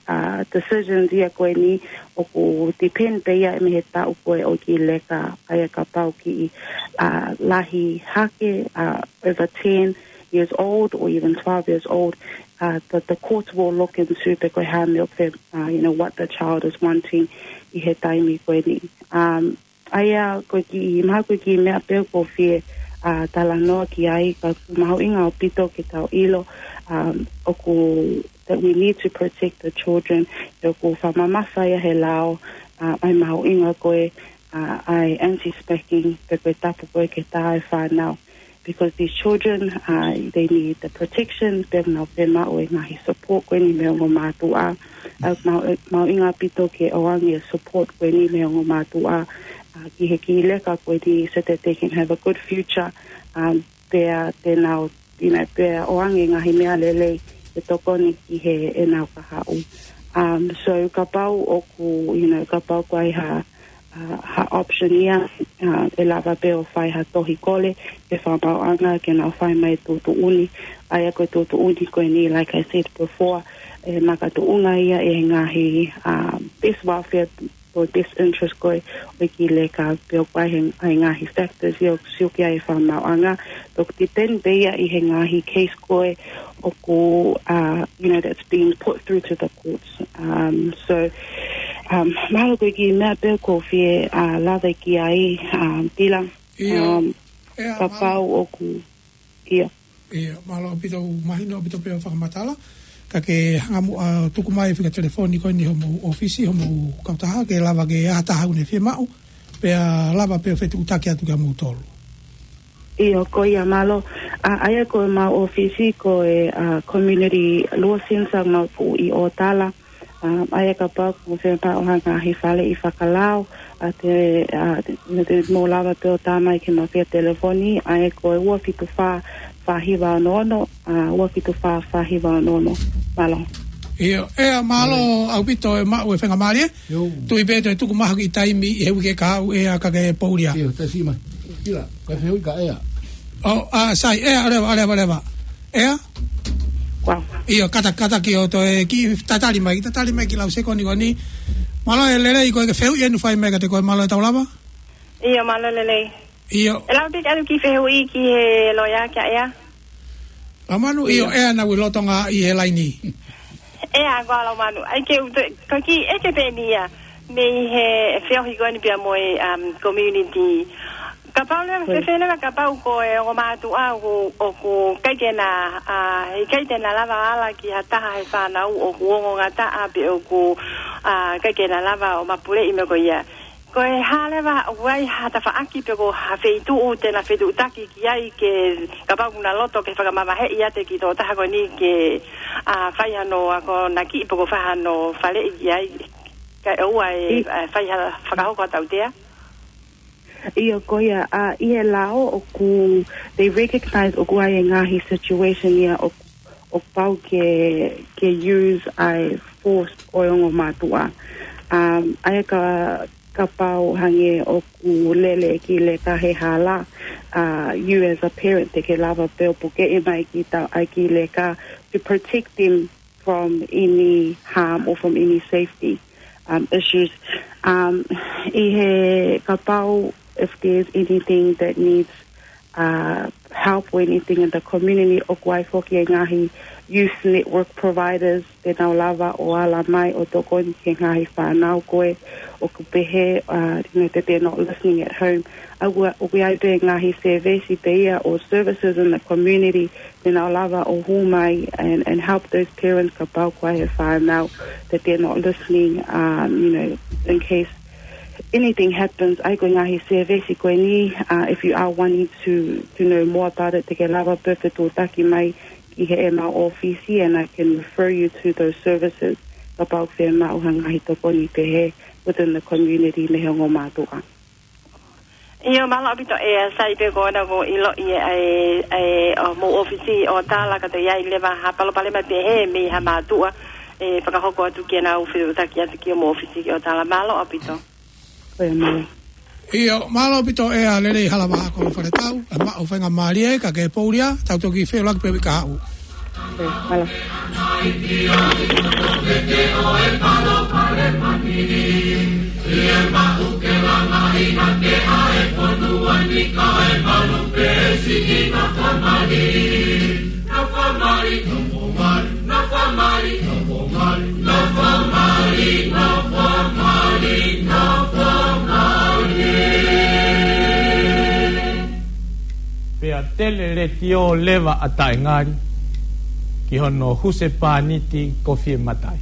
uh, decisions ia ko eni ʻoku depend pē ia mei he taʻu ko ē ʻo e kiʻi leka, ʻa ia kapau kiʻi, uh, lahi hake, uh, over ten years old or even twelve years old, uh, that the courts will look into pe ko e hā e meʻa ʻoku fie-, uh, you know, what the child is wanting ʻi he taimi ko eni. Um, ʻA ia ko e kiʻi, mahalo ko e kiʻi meʻa pē ʻoku ou fie, uh, talanoa ki ai, ka ʻoku mahuʻinga ʻaupito ke tau ʻilo, um, ʻoku, that we need to protect the children, ʻoku fakamamafa ia ʻe he lao, uh, ʻa e mahuʻinga ko ē, uh, ʻa e anti-spanking, pe ko e tapu ko ē ke tā e fānau. Because these children, uh, they need the protection, pea nau fiemaʻu e ngaahi support ko eni mei he ongo mātuʻa. Uh, mau, mahuʻinga ʻaupito ke ʻoange e support ko eni mei he ongo mātuʻa, uh, ki he kiʻi leka ko eni so that they can have a good future, um, pea te nau, you know, pea ʻoange e ngaahi meʻa lelei ʻe tokoni ki heʻenau kahaʻu. Um, so kapau ʻoku, you know, kapau ʻoku ʻi ai ha, uh, ha option ia, uh, ʻe lava pē ʻo fai ha tohi kole ki he fakamaauʻanga ke nau fai mai e tuʻutuʻuni, ʻa ia ko e tuʻutuʻuni ko eni, like I said before, ʻe makatuʻunga ia ʻi he ngaahi, uh, best welfare or best interest ko ē ʻo e kiʻi leka, pea ʻoku ʻi ai e, ʻa e ngaahi factors ia ʻoku sio ki ai e fakamaauʻanga, pea ʻoku depend pē ia ʻi he ngaahi case ko ē ʻoku, uh, you know, that's being put through to the courts. Um, so, um, mahalo ko e kiʻi meʻa pē ʻoku ou fie, uh, lave ki ai, um, Tila. ʻIo. Um, ʻEa, kapau mahalo. ʻOku, ʻio. ʻIo, mālō ʻaupito, mahino ʻaupito pē hoʻo fakamatala. Ka ke hanga muʻa ʻo tuku mai e fika telefoni ko eni homou ʻōfisi, homou kautaha, ke lava ke ʻi ai ha taha ʻoku ne fiemaʻu, pea lava pē ʻo fetuʻutaki atu kia moutolu. ʻIo, ko ia mālō. ʻA, ʻa ia ko ʻemau ʻōfisi ko e, uh, Community Law Centre ʻoku mau tuʻu ʻi ʻŌtala. Um, ʻa ia kapau ʻoku mou fiemaʻu ha ngaahi faleʻi fakalao, ʻa, te, ʻa, te, te mou lava pē ʻo tā mai ki heʻemau fika telefoni, ʻa ia ko e ua fitu fā, fā hiva ono ono, ʻa, ua fitu fā, fā hiva ono ono. Mālō. ʻIo, ʻEa, mālō ʻaupito e maʻu e faingamālie. ʻIo. Tui pē ʻe toe tuku mai ha kiʻi taimi ʻi he uike kahaʻu ʻEa ka ke poʻuli ā. ʻIo, tasi mai. Kila, ka fehuʻi ka ʻEa. ʻO, ʻa, sai, ʻEa, ʻaleva, ʻaleva, ʻaleva. ʻEa? Wow. ʻIo, kata, kata ki o toe kiʻi tatali mai, tatali mai ki he lau sekoni ko eni. Mālō e lelei ko e ke fehuʻi ʻe nau fai mai kiate koe, mālō e tau lava? ʻIo, mālō e lelei. ʻIo. ʻE lava pē ke ʻalu kiʻi fehuʻi ki he loea kia ʻEa? Laumanu, ʻio, ʻEa naʻa ku ʻi lolotonga ʻi he laini. ʻEa, ko Laumanu. ʻAi ke u toe, ko e kiʻi ʻeke pē eni ia. Mei he feohi ko eni pea mo e, um, community. Kapau leva, fēfē leva kapau ko e ongo mātuʻa ʻoku, ʻoku ʻikai ke na, uh, ʻikai te na lava ala ki ha taha he fānau ʻoku ongongataʻa pe ʻoku ʻA, ʻikai ke na lava ʻo mapuleʻi mo e ko ia. Ko e hā leva ʻoku ʻi ai ha tafaʻaki pe ko ha feituʻu te na fetuʻutaki ki ai ke kapau ʻoku na loto ke fakamavaheʻi ʻiate kitautolu ko eni ke, ʻa, fai hano akonaki pe ko e fai hano faleʻi ki ai. Kae ʻoua ʻe, ʻa, fai ha fakahoko ha tautea. ʻIo, ko ia, ʻa, ʻi he lao ʻoku, they recognize ʻoku ʻi ai e ngaahi situation ia ʻoku, ʻoku pau ke, ke use ʻa e force ʻo e ongo mātuʻa. Um, ʻa ia ka, kapau hangē ʻoku lele e kiʻi leka he hala, uh, you as a parent te ke lava pē ʻo pukeʻi mai ki ta, ʻa e kiʻi leka to protect them from any harm or from any safety, um, issues. Um, ʻi he kapau, if there's anything that needs, uh, help or anything in the community, ʻoku ʻi ai foki e ngaahi youth network providers te nau lava ʻo ala mai ʻo tokoni ki he ngaahi fānau ko ē ʻoku pehē, uh, you know, that they're not listening at home. ʻA ia, ʻoku ʻi ai pē ngaahi service pē ia or services in the community te nau lava ʻo hū mai and, and help those parents kapau ʻoku ʻi ai e fānau that they're not listening, um, you know, in case anything happens. ʻA ia ko e ngaahi service ko eni, uh, if you are wanting to, to know more about it, te ke lava pē ʻo fetuʻutaki mai ki heʻemau ʻōfisi, and I can refer you to those services kapau ʻoku fiemaʻu ha ngaahi tokoni pehē within the community mei he ongo mātuʻa. ʻIo, mālō ʻaupito ʻEa, sai pē ko ena kuo ʻiloʻi ʻe, ʻe, ʻe, ʻa, mo e ʻōfisi ʻo Tala ka toe ʻi ai leva ha palopalema pehē mei ha mātuʻa, ʻe fakahoko atu ke nau fetuʻutaki atu ki hoʻomo ʻōfisi ʻo Tala. Mālō ʻaupito. Ko ia, mālō. ʻIo, mālō ʻaupito ʻEa Lelei Halavaha Kolofaletau, ʻa e maʻu faingamālie ka ke poulia, tau toki feʻiloaki pē ʻi he uike kahaʻu. Mālō. Pea tele letiō leva ʻa Taʻengali ki hono husepāniti ko Fiematai.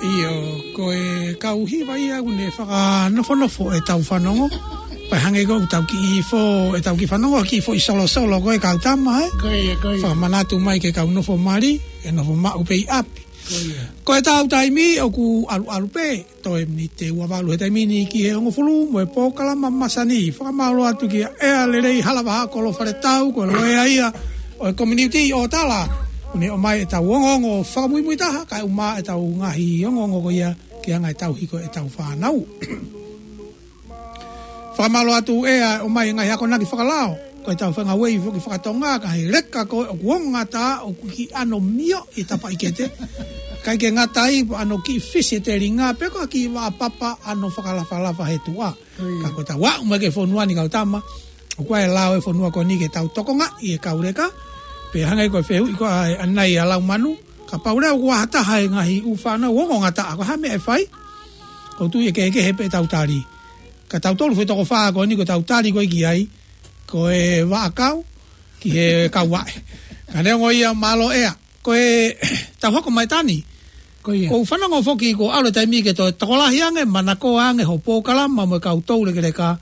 ʻIo, ko e kau hiva ia ʻoku ne fakanofonofo ʻetau fanongo. Pea hangē ko ʻetau kiʻi fo, ʻetau kiʻi fanongo, kiʻi foʻi solosolo ko e kau tama, ē? Ko ia, ko ia. Fakamanatu mai ke kau nofo mali, ʻe nofo maʻu pē ʻi ʻapi. Ko ia. Ko ʻetau taimi ʻoku ʻalu ʻalu pē, toe miniti ua valu he taimi ni ki he hongofulu mo e polokalama masani. Fakamālō atu kia ʻEa Lelei Halavaha Kolofaletau, ko e loea ia ʻo e community ʻo Tala. ʻOku ne ʻomai ʻetau ongoongo fakamuimuitaha, kae ʻumaʻā ʻetau ngaahi ongoongo ko ia ki he anga e tauhi ko ē ʻetau fānau. Fakamālō atu ʻEa ʻomai e ngaahi akonaki fakalao. Ko ʻetau fengāueʻi foki fakatonga, ka he leka ko ē ʻoku ongata, ʻoku kiʻi ʻano mio ʻi tapaʻikete. ʻIkai ke ngata ai, ʻano kiʻi fisi e telinga, pe ko e kiʻi vaʻa papa ʻano fakalafalafa he tuʻa. Ko ia. Ka ko ʻetau aʻu mai ki he fonua ni kau tama, ʻoku ʻi ai e lao e fonua ko eni ke tau tokongaʻi e kau leka, pea hangē ko e fehuʻi ko ē ʻanenai ʻa Laumanu, kapau leva ʻoku ʻi ai ha taha e ngaahi ʻū fānau ongongataʻa, ko e hā e meʻa ʻe fai? ʻOku ou tui ʻe kehekehe pē ʻetau tali. Ka tautolu foʻi toko fā ko eni ko ʻetau tali ko ē ki ai, ko e vaʻakau, ki he kauaʻe. Ka neongo ia mālō ʻEa, ko ʻetau hoko mai ʻa Tani. Ko ia. ʻOku ou fanongo foki kuo ʻalu e taimi ke toe tokolahi ange, manakoa ange hoʻo polokalama mo e kau toulekeleka.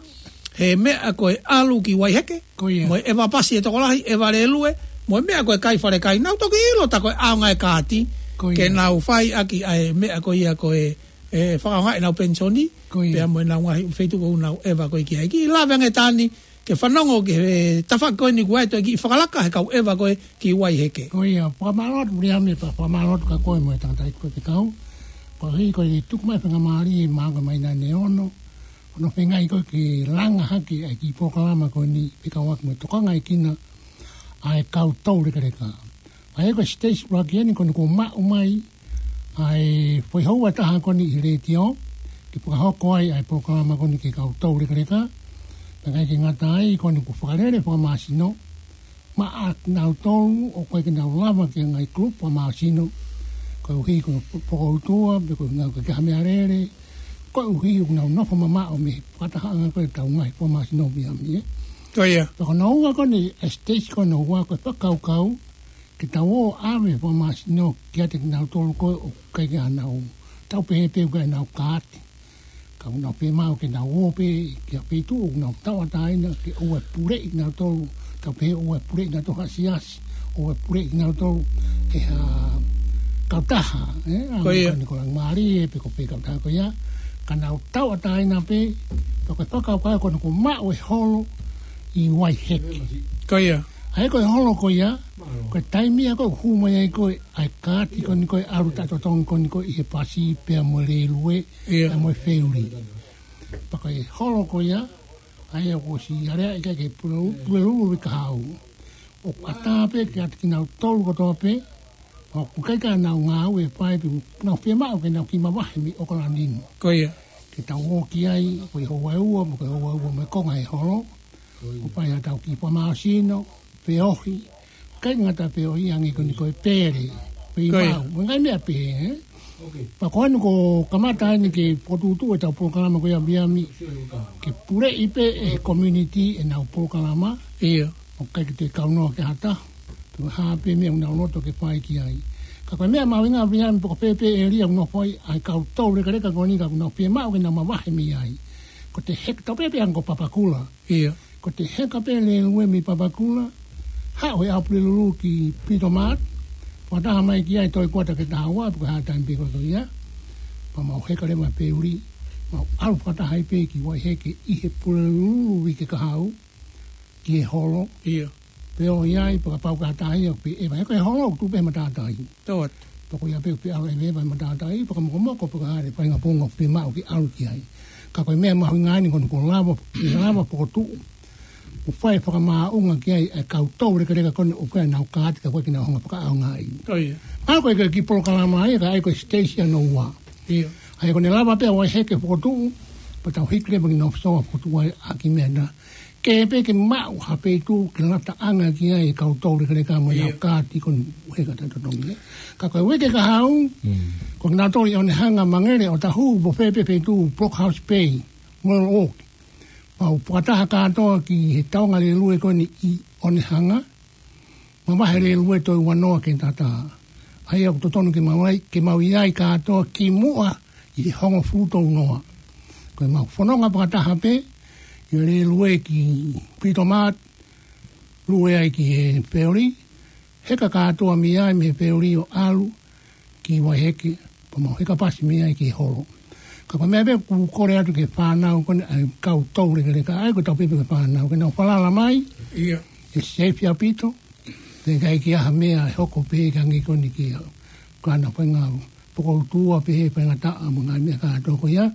He meʻa ko e ʻalu ki Vaiheke. Ko ia. Mo e ʻeva pasi e tokolahi, ʻeva lēlue, mo e meʻa ko e kai falekai. Nau toki ʻilo tā ko e ʻaonga e kaati. Ko ia. Ke nau fai ʻaki ʻa e meʻa ko ia ko e, ʻe fakaʻaongaʻi ʻenau penisoni. Ko ia. Pea mo ʻenau ngaahi feituʻu ʻoku nau ʻeva ko ē ki ai. Kiʻi lave ange Tani, ke fanongo ki he tafaʻaki ko eni kuo ʻi ai e toe kiʻi fakalaka he kau ʻeva ko ē ki Vaiheke. Ko ia, fakamālō atu Viliami, pea fakamālō atu kia koe mo e tangataʻeiki ko ē fekau. Koeʻuhi ko e tuku mai e faingamālie maʻa koe mai ʻanenai ʻo ne ʻo ne feinga ko ē ke langa hake ʻa e kiʻi polokalama ko eni fekauʻaki mo e tokangaekina ʻa e kau toulekeleka. ʻA ia ko e siteisi ʻuluaki eni ko eni kuo maʻu mai ʻa e foʻi houa ʻe taha ko eni ʻi he letiō, ke fakahoko ai ʻa e polokalama ko eni ki he kau toulekeleka. Pea ʻikai ke ngata ai, ko eni kuo fakalele fakamāsino, maʻa kinautolu ʻoku ʻikai ke nau lava ki he ngaahi kulupu fakamāsino, koeʻuhi ko e pokoutua, pe ko e ngaahi ko e kiʻi meʻalele, koeʻuhi ʻoku nau nofo mamaʻo mei he fakatahaʻanga ko ē ʻetau ngaahi fakamāsino ʻi Viami, ē. Ko ia. Pea ko hono ua ko eni, ʻa e siteisi ko hono ua ko e fakakaukau, ke tau ō ʻave fakamāsino kiate kinautolu ko ē ʻoku ʻikai ke nau, tau pehē pē ʻoku ʻikai ke nau kaati. Ka ʻoku nau fiemaʻu ke nau ō pē ki ha feituʻu ʻoku nau tauʻatāina ke ʻoua ʻe puleʻi kinautolu, tau pehē ʻoua ʻe puleʻi kinautolu ha siasi, ʻoua ʻe puleʻi kinautolu ʻe ha kautaha, ē, ʻa Ko ia. Ko eni ko Langimalie, pe ko fē kautaha ko ia, ka nau tauʻatāina pē, pea ko e fakakaukau ko eni kuo maʻu e holo ʻi Vaiheke. Ko ia. ʻA ia ko e holo ko ia, ko e taimi ia ko ē ʻoku hū mai ai ko ē ʻa e kaati ko eni ko ē ʻalu taʻetotongi ko eni ko ē ʻi he pasi pea mo e lēlue, Ia. pea mo e feuli. Pea ko e holo ko ia, ʻa ia kuo ʻosi aleaʻi ki ai ke pule-, Pulelulu ʻi Kahaʻu. ʻOku ʻatā pē kiate kinautolu kotoa pē, ʻoku ʻikai ke nau ngāue ʻe fai pē, nau fiemaʻu ke nau kiʻi mavahe mei ʻOkalani ni. Ko ia. Ke tau ō ki ai, ko e houa ʻe ua, mo e houa ʻe ua mo e konga ʻo e holo. ʻO fai ʻetau kiʻi fakamāsino, feohi. ʻIkai ngata feohi ange ko eni ko e pele, Ko ia. feimau, mo e ngaahi meʻa pehē, ē? Pea ko eni kuo kamata eni ke fokotuʻutuʻu ʻetau polokalama ko ia ʻi Viami. Ke puleʻi pē ʻe he community ʻenau polokalama. Ia. ʻOku ʻikai ke toe kaunoa ki ha taha. Pe ko e hā pē meʻa ʻoku nau loto ke fai ki ai. Ka ko e meʻa mahuʻinga ʻi Viami pe ko fē pē ʻēlia ʻoku nau fai ai kau toulekeleka ko eni ka ʻoku nau fiemaʻu ke nau mavahe mei ai. Ko ʻete heka, tau pehē pē ange ko Papakura. Ia. Ko ʻete heka pē lēlue mei Papakura, haʻu he ʻaho Pulelulu ki Pito Mart, fakataha mai ki ai toe kuata ki he taha ua, pe ko e hā e taimi pē ko ia. Pea mau heka leva feuli, mau ʻalu fakataha ai pē ki Vaiheke ʻi he Pulelulu uike kahaʻu, ki he holo. Ia. Pea ʻo ʻi ai, pea kapau ke ʻatā ia, pe ʻeva, he ko e holo, tuʻu pē he matātahi. Tō atu. Pea ko ia pē ʻoku ʻalu ʻeva he matātahi, pea ka mokomoko, pea ka hale, faʻahinga pongo, fiemaʻu ke ʻalu ki ai. Ka ko e meʻa mahuʻinga eni ko eni kuo lava, lava fokotuʻu. ʻO fai fakamaʻunga ki ai ʻa e kau toulekeleka ko eni ʻoku ʻikai ke nau kaati ka ʻoku ʻikai ke nau hanga ʻo fakaʻaongaʻi. Ko ia. ʻA ia ko e kiʻi polokalama ia, ka ʻa ia ko e siteisi hono ua. Ia. ʻA ia ko ʻene lava pē ʻa Vaiheke fokotuʻu, pea tau hiki leva ki North Shore fokotuʻu ai ʻaki e meʻa na. Ke pē ke maʻu ha feituʻu ke lataʻanga ki ai e kau toulekeleka mo ʻenau Ia. kaati ko eni heka taʻetotongi. Ka ko e uike kahaʻu, Mm. ko kinautolu ʻi ʻOnehanga, Mangere, ʻOtahuhu, pe ko fē pē feituʻu, Blockhouse Bay, Mall Walk. Mau fakataha kātoa ki he tauʻanga lēlue ko eni ʻi ʻOnehanga. Mavahe lēlue toe ua noa ki he taha taha. ʻA ia ʻoku totonu ke mau ʻi ai, ke mau ʻi ai kātoa kimuʻa ʻi he hongofulu tolu noa. Ko ʻemau fononga fakataha pē, ʻi he lēlue ki Pito Mart, lue ai ki he feuli, heka kātoa mei ai mei he feuli ʻo ʻalu ki Vaiheke, pea mau heka pasi mei ai ki he holo. Ka ko e meʻa pē ʻoku ou kole atu ki he fānau ko eni ʻa e kau toulekeleka, ʻa ia ko ʻetau pehē ki he fānau, ke nau falala mai, Ia. ʻe seifi ʻaupito, pea ʻikai ke ʻi ai ha meʻa ʻe hoko pē ke hangē ko eni ki ai. Ka nau fai ngāue, pokoutua pē he faingataʻa mo e ngaahi meʻa kātoa ko ia.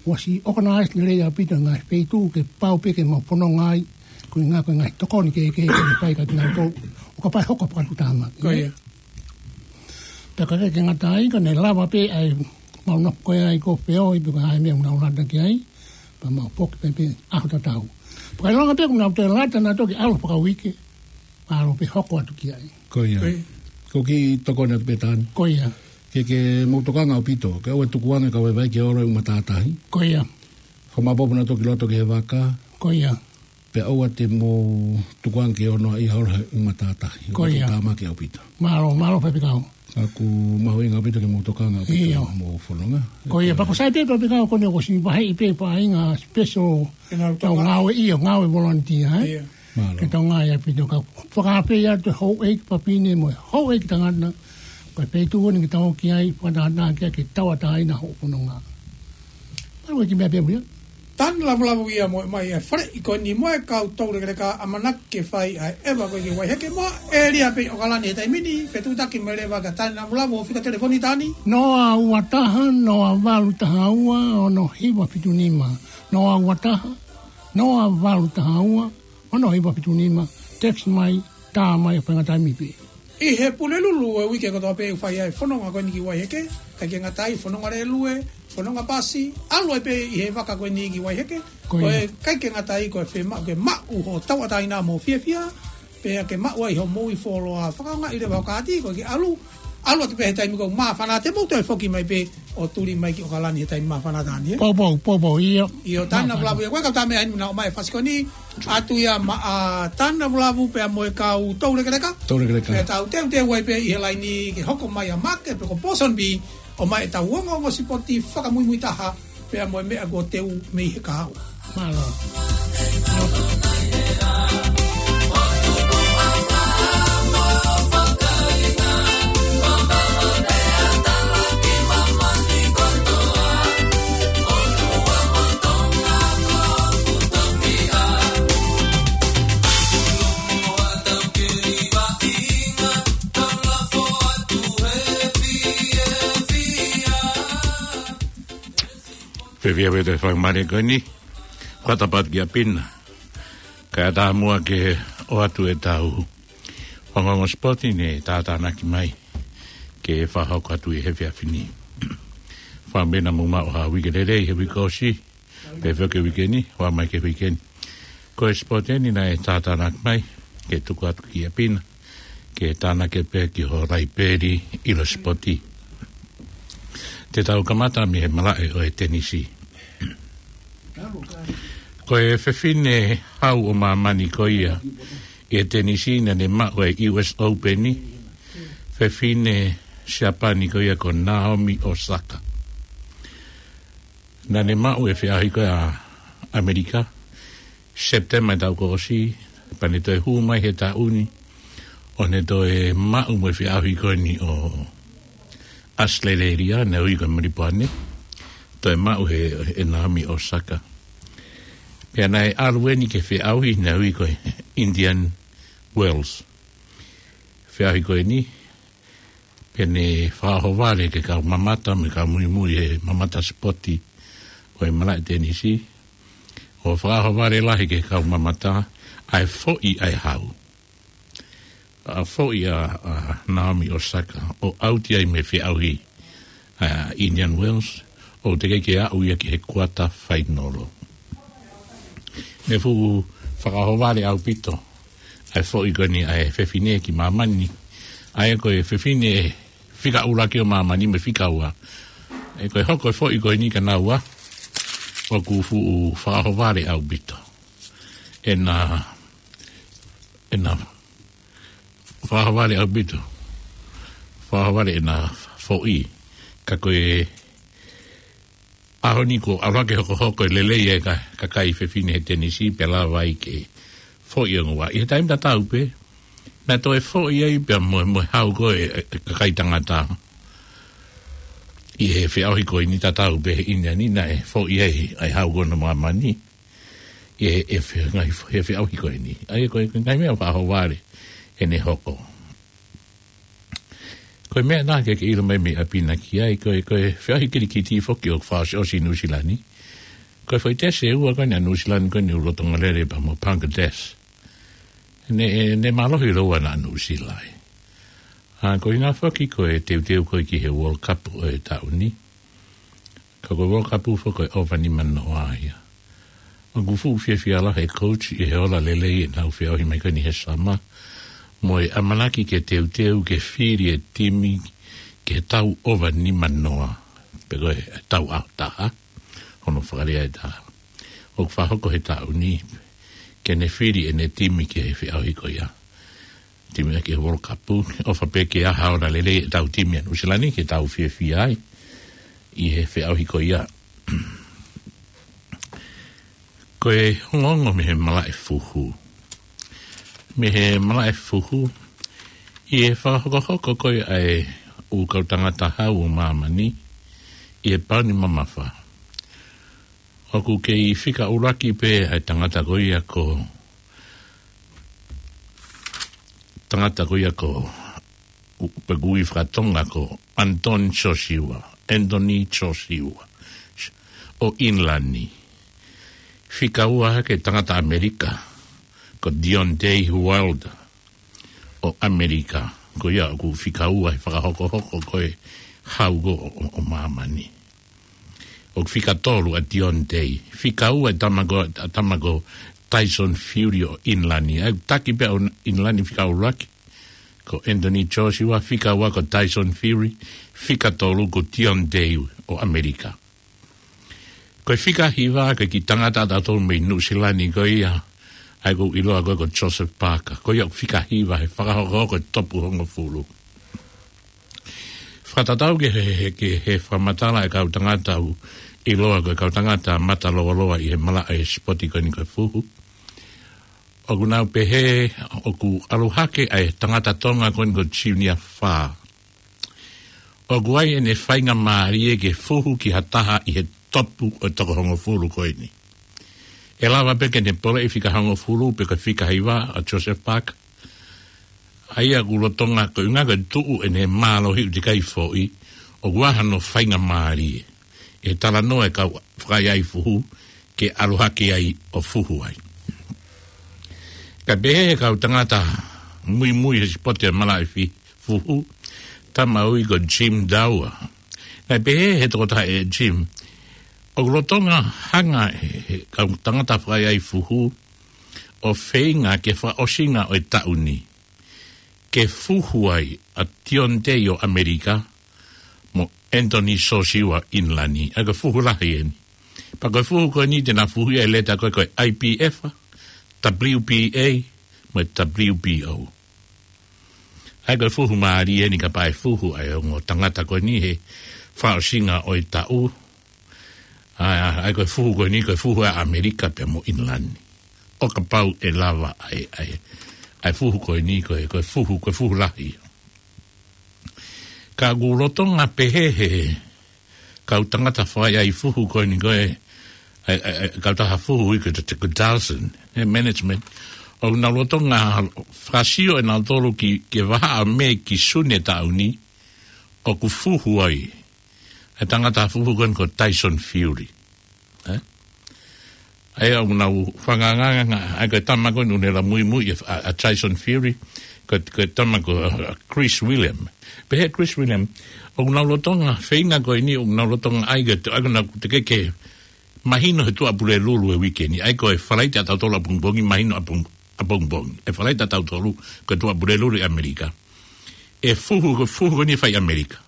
ʻOsi organize lelei ʻaupito e ngaahi feituʻu ke pau pē ke mau fononga ai, ko e ngaahi, ko e ngaahi tokoni kehekehe ke fai kiate kinautolu. ʻO kapau ʻe hoko fakatuʻutāmaki. Ko ia. Pea ka ke ngata ai, ka ne lava pē ʻa e mau nofo ko ia ai ko e feohi pe ko e hā e meʻa ʻoku nau lata ki ai. Pea mau foki pē pē ʻaho tatau. Pea ka ʻilonga pē ʻoku nau toe lata nautolu ki he ʻaho fakauike, ʻalu pē hoko atu ki ai. Ko ia. Ko ia. Ko e kiʻi tokoni atu pē Tani. Ko ia. Ke, ke mou tokanga ʻaupito, ke ʻoua ʻe tukuange ka vaivai ke olo he ʻū matātahi. Ko ia. Fakamaopoopo nautolu ki loto ki he vaka. Ko ia. Pea ʻoua te mou tukuange ke ono ʻi holo he ʻū matātahi. Ko ia. Tāmaki ʻaupito. Mālō, mālō Faifekau. ʻOku mahuʻinga ʻaupito ke mou tokanga ʻaupito ʻIo. mo fononga. Ko ia, pea ko e sai pē Faifekau ko eni ʻoku ʻosi vaheʻi pē faʻahinga special ʻenau tau tokanga. ngāue ʻio, ngāue volunteer, ē? ʻIo. Mālō. Ke tau ngāue ʻaupito ka fakaafe atu e houʻeiki fafine mo e houʻeiki tangata. Ko e feituʻu eni ke tau ō ki ai, fakatātā ki ai ke tauʻatāina hoʻo fononga. Mālō e kiʻi meʻa pē ia. Tani Lavulavu ia mo e mai e fale ʻi ko eni mo e kau toulekeleka ʻamanaki ke fai ʻa e ʻeva ko ē ki Vaiheke mo e ʻēlia pē ʻi ʻOkalani he taimi ni, fetuʻutaki mai leva kia Tani Lavulavu ʻo fika telefoni Tani. Noa ua taha, noa valu taha ua, ono hiva fitu nima. Noa ua taha, noa valu taha ua, ono hiva fitu nima, text mai, tā mai ʻo faingataʻa mai pē. ʻI he Pulelulu e uike kotoa pē ʻoku fai ai e fononga ko eni ki Vaiheke, ʻikai ke ngata ai fononga lēlue, fononga pasi, ʻalu ai pē ʻi he vaka ko eni ki Vaiheke, Ko ko ia. e ʻikai ke ngata ai ko e fiemaʻu ke maʻu hoʻo tauʻatāina mo e fiefia, Pea ke maʻu ai hoʻo moʻui fuoloa, fakaʻaongaʻi leva hoʻo kaati, ko e ke ʻalu, ʻalu atu pē he taimi ko ē ʻoku māfana, te mou toe foki mai pē ʻo tuli mai ki ʻOkalani he taimi māfana taha ni, ē? Poupou, poupou, ʻio. ʻIo, Tana Māfana. Vulavu ia, ko e kau tā meʻa inu na ʻomai e fasikoni, atu ia maʻa Tana Vulavu pea mo e kau Toulekeleka. Toulekeleka. Pea tau teuteu ai pē ʻi he laini ke hoko mai ʻa Make pe ko Pōsoni Bī, ʻomai ʻetau ongoongo sipoti fakamuimui taha, pea mo e meʻa kuo teu mei he kahaʻu. Mālō. Fiefia pē ʻi he faingamālie ko eni, kuata patu kia Pina. Kae ʻatā muʻa ke ʻoatu ʻetau ongoongo sipoti ne tātānaki mai ke fakahoko atu ʻi he efiafi ni. Fakaʻamu pē naʻa mou maʻu ha uike lelei he uike ʻosi, pea foki e uike ni, ʻoua mai ki he uike ni. Ko e sipoti eni naʻe tātānaki mai, ke tuku atu kia Pina, ke tānaki pē ki ho laipeli ʻilo sipoti. Te tau kamata mei he malaʻe ʻo e tenisi. Ko e fefine hau ʻo māmani ko ia ʻi he tenisi naʻa ne maʻu e U S Open ni, fefine Siapani ko ia ko Naomi Osaka. Naʻa ne maʻu e feʻauhi ko ē ʻa ʻAmelika, Sepitema taʻu kuo ʻosi, pea ne toe hū mai he taʻu ni, ʻo ne toe maʻu mo e feʻauhi ko eni ʻo ʻAositelēlia, naʻe ui ko e Melipoane, toe maʻu he, he Naomi Osaka. Pea naʻe ʻalu eni ki he feʻauhi naʻe ui ko e Indian Wells. Feʻauhi ko eni, pea ne fakaʻohovale ki he kau mamata, mo e kau muimui he mamata sipoti ʻo e malaʻe tenisi, ʻo fakaʻohovale lahi ki he kau mamata, ʻa e foʻi ʻa e hau. ʻA e foʻi ʻa, ʻa Naomi Osaka, ʻo ʻauti ai mei he feʻauhi ʻa Indian Wells, ʻo teʻeki ke aʻu ia ki he kuata fainolo. Ne fuʻu fakaʻohovale ʻaupito ʻa e foʻi ko eni ʻa e fefine ki māmani. ʻA ia ko e fefine fika ʻuluaki ʻo māmani mo e fika ua. ʻE ko e hoko e foʻi ko eni kia naua, ʻoku fuʻu fakaʻohovale ʻaupito ʻena, ʻena fakaʻohovale ʻaupito. Fakaʻohovale ʻena foʻi. Ka ko e ʻaho ni kuo ʻalu hake hokohoko e lelei e ka-, kakai fefine he tenisi pea lava ai ke foʻi ongo ua. ʻI he taimi tatau pē, naʻe toe foʻi ai pea mo, mo e hau ko ē e, e kakai tangata. ʻI he feʻauhi ko eni tatau pē he ʻInia ni naʻe foʻi ai ʻa e hau ko ē ʻo māmani. ʻI he, he fe-, ngaahi fe-, he feʻauhi ko eni. ʻA ia ko e, ko e ngaahi meʻa fakaʻohovale ʻene hoko. Ko e meʻa naʻa ke, ke ʻilo mai mei ʻapi na ki ai, ko e, ko e feʻauhi kilikiti foki ʻoku fakaʻosiʻosi ʻi Nuʻusila ni. Ko e foʻi tesi ʻe ua ko eni ʻa Nuʻusila ni ko eni ʻoku lolotonga lele pea mo Bangladesh. Ne, ne mālohi lōua naʻa Nuʻusila ē. ʻA, ko e ʻuhinga foki ko e teuteu ko ē ki he World Cup ʻo e taʻu ni. Ka ko e World Cup foki ko e ʻova nima noa ia. ʻOku fuʻu fiefia lahi e coach ʻi he ola lelei ʻenau feʻauhi mai ko eni he summer. Mo e ʻamanaki ke teuteu ke fili e timi ke tau ʻova nima noa. Pe ko e tau ʻaho taha. Hono fakalea ʻe taha. ʻOku fakahoko he taʻu ni ke ne fili ʻene timi ki he feʻauhi ko ia. Timi ʻaki e World Cup, ʻofa pē ke ʻi ai ha ola lelei ʻetau timi ʻa Nuʻusila ni ke tau fiefia ai ʻi he feʻauhi ko ia. Ko e ongoongo mei he malaʻe fuhu. Mei he malaʻe fuhu, ʻi he fakahokohoko ko ē ʻa e ʻū kau tangata hau ʻo māmani, ʻi he pauni mamafa. ʻOku kei fika ʻuluaki pē ʻa e tangata ko ia ko tangata ko ia ko, pe ʻoku ui fakatonga ko Anthony Joshua, Anthony Joshua, ʻo ʻInilani. Fika ua hake tangata ʻAmelika, ko Deontay Wilder, ʻo ʻAmelika. Ko ia ʻoku fika ua he fakahokohoko ko e hau ko ē ʻo, ʻo, ʻo māmani. ʻOku fika tolu ʻa Deontay. Fika ua e tama ko, ʻa e tama ko Tyson Fury ʻo ʻInilani. ʻA ia ʻoku taki pē ʻa ʻInilani fika ʻuluaki ko Anthony Joshua, fika ua ko Tyson Fury, fika tolu ko Deontay ʻo ʻAmelika. Ko e fika hiva ko e kiʻi tangata ʻatautolu mei Nuʻu Sila ni ko ia, ʻa ia ʻoku ʻiloa ko ē ko Joseph Parker. Ko ia ʻoku fika hiva he fakahokohoko e topu hongofulu. Fakatatau ki he, he, ki he fakamatala ʻa e kau tangata ʻoku ʻiloa ko e kau tangata mata lōloa ʻi he malaʻe sipoti ko eni ko e fuhu, ʻoku nau pehē ʻoku ʻalu hake ʻa e tangata Tonga ko eni ko Junior Fa. ʻOku ʻi ai ʻene faingamālie ke fuhu ki ha taha ʻi he topu ʻo e toko hongofulu ko eni. ʻE lava pē ke ne poleʻi fika hongofulu pe ko e fika hiva ʻa Joseph Parker. ʻA ia ʻoku lolotonga ko e ʻuhinga ko e tuʻu ʻene mālohi ʻoku teʻeki ai foʻi, ʻoku ʻi ai hano faingamālie ʻi he talanoa ʻa e kau fakaʻaiʻai fuhu ke ʻalu hake ai ʻo fuhu ai. Kae pehē ʻe he kau tangata muimui he sipoti ʻa e malaʻe fi-, fuhu, tama ʻoku ui ko Jim Dowell. Naʻe pehē ʻe he tokotaha ʻe Jim, ʻoku lolotonga hanga ʻe he kau tangata fakaʻaiʻai fuhu ʻo feinga ke fakaʻosinga ʻo e taʻu ni ke fuhu ai ʻa Deontay ʻo ʻAmelika mo Anthony Joshua ʻInilani. ʻA ia ko e fuhu lahi eni. Pea ko e fuhu ko eni te nau fuhu ia ʻi he leta ko ē ko e I B F, W B A, mo e W B O. ʻA ia ko e fuhu mālie eni kapau ʻe fuhu ʻa e ongo tangata ko eni he fakaʻosinga ʻo e taʻu. ʻA ia, ʻa ia ko e fuhu ko eni, ko e fuhu ʻa ʻAmelika pea mo ʻInilani. ʻO kapau ʻe lava ʻa e, ʻa e, ʻa e fuhu ko eni, ko e, ko e fuhu, ko e fuhu lahi. Ka ʻoku lolotonga pehē ʻe he kau tangata fakaʻaiʻai fuhu ko eni ko e, ʻa e, ʻa e, ʻa e, kau taha fuhu ʻoku ui ko e, ko e Dalzin, he management. ʻOku nau lolotonga fakasio ʻe nautolu ki, ki he vahaʻa ʻo Mē ki Sune taʻu ni, ʻoku fuhu ai ʻa e tangata fuhu ko eni ko Tyson Fury. ʻE? ʻA ia ʻoku nau fakaangaanga, ʻa ia ko e tama ko eni ʻoku ne ʻalu muimui ʻa, ʻa Tyson Fury, ko, ko e tama ko, ʻa, Chris William. Pehē ʻe Chris William, ʻoku nau lolotonga, feinga ko eni, ʻoku nau lolotonga ʻai ke, ʻa ia ko ʻenau teʻeki ke mahino he Tuʻapulelulu he uike ni, ʻa ia ko e Falaite ʻatautolu ʻapongipongi, mahino ʻapong-, ʻapongipongi. ʻE Falaite ʻatautolu, ko e Tuʻapulelulu ʻi ʻAmelika. ʻE fuhu, ko e fuhu ko eni fai ʻAmelika.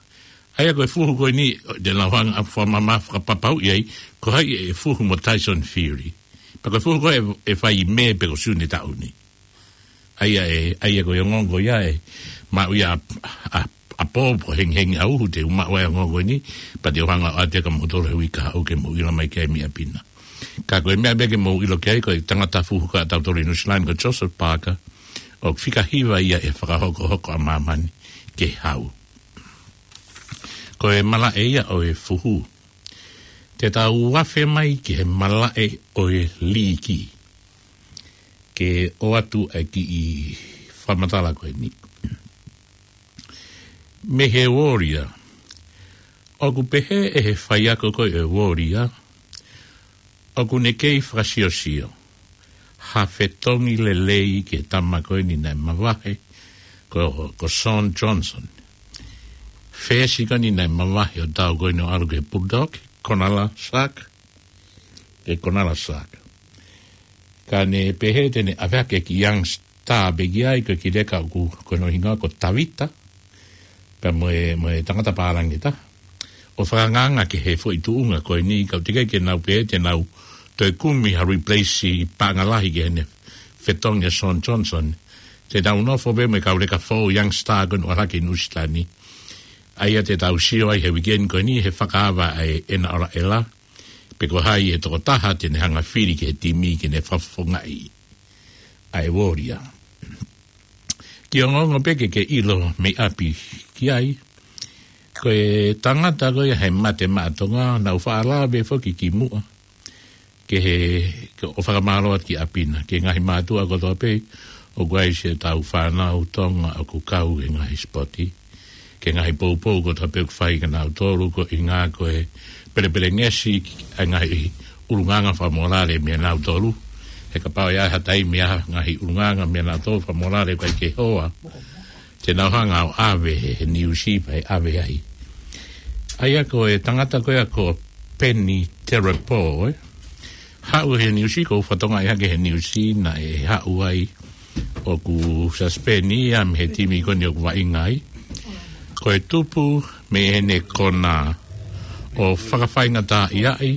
ʻA ia ko e fuhu ko eni, te nau hanga ʻo fakamamafa fakapapauʻi ai, ko hai ʻe fuhu mo Tyson Fury. Pea ko e fuhu ko ē ʻe fai ʻi Mē pe ko Sune taʻu ni. ʻA ia ʻe, ʻa ia ko e ongoongo ia ʻe maʻu ia ʻa, ʻa, ʻa pō pe ko e hengihengi ʻa uhu te u maʻu ai e ongoongo ni, pea te u hanga ʻo ʻoatu kia moutolu he uike kahaʻu ke mou ʻilo mai ki ai mei ʻapi na. Ka ko e meʻa pē ke mou ʻilo ki ai, ko e tangata fuhu ko ē ʻatautolu ʻi Nuʻu Sila ni ko Joseph Parker, ʻoku fika hiva ia he fakahokohoko ʻa māmani ke hau. Ko e malaʻe ia ʻo e fuhu. Te tau afe mai ki he malaʻe ʻo e liiki ke ʻoatu ʻa e kiʻi fakamatala ko eni. Mei he Warrior. ʻOku pehē ʻe he faiako ko ē ʻo e Warrior, ʻoku ne kei fakasiosio ha fetongi lelei ki he tama ko eni naʻe mavahe, ko, ko Shawn Johnson. Fesi ko eni naʻe mavahe ʻo tau ko eni ʻo ʻalu ki he Bulldog, Konala Saka, ki he Konala Saka. Ka ne pehē te ne ʻave hake e kiʻi youngster pē ki ai, ko e kiʻi leka ʻoku, ko hono hingoa ko Tavita, pea mo e, mo e tangata pālangi ʻe taha. ʻO fakaangaanga ki he foʻi tuʻunga ko eni, ka ʻoku teʻeki ke nau pehē te nau toe kumi ha replace paʻanga lahi ki heʻene fetongi ʻa Shawn Johnson. Te nau nofo pē mo e kau leka foʻou youngster ko eni ʻoku ʻalu hake ʻi Nuʻu Sila ni. ʻA ia te tau sio ai he weekend ko eni he fakaava ʻa e ʻEna ʻOlaʻela, pe ko hai e tokotaha te ne hanga fili ki he timi ke ne fakafofongaʻi ʻa e Warrior. Kiʻi ongoongo pē ke ke ʻilo mei ʻapi ki ai. Ko e tangata ko ia he Mate Maʻa Tonga, naʻa ku faʻa lave foki ki muʻa ke he, ke ʻo fakamālō atu ki ʻapi na, ki he ngaahi mātuʻa kotoa pē ʻoku ʻi ai siʻetau fānau Tonga ʻoku kau he ngaahi sipoti, ki he ngaahi poupou kotoa pē ʻoku fai kia nautolu, ko e ʻuhinga ko e pelepelengesi ʻa e ngaahi ʻulungaanga fakamōlale meia nautolu. He kapau ʻe ʻi ai ha taimi ʻa e ngaahi ʻulungaanga meia nautolu fakamōlale ʻoku ʻikai ke hoa, te nau hanga ʻo ʻave he, he niusi pea ʻave ai. ʻA ia ko e tangata ko ia ko Peni Terepo, ē? Pau he niusi, ko u fatonga ia ke he niusi naʻe haʻu ai ʻoku sasipeni ia mei he timi ko eni ʻoku vaʻinga ai. Ko e tupu mei heʻene kona ʻo fakafaingataʻaʻiaʻi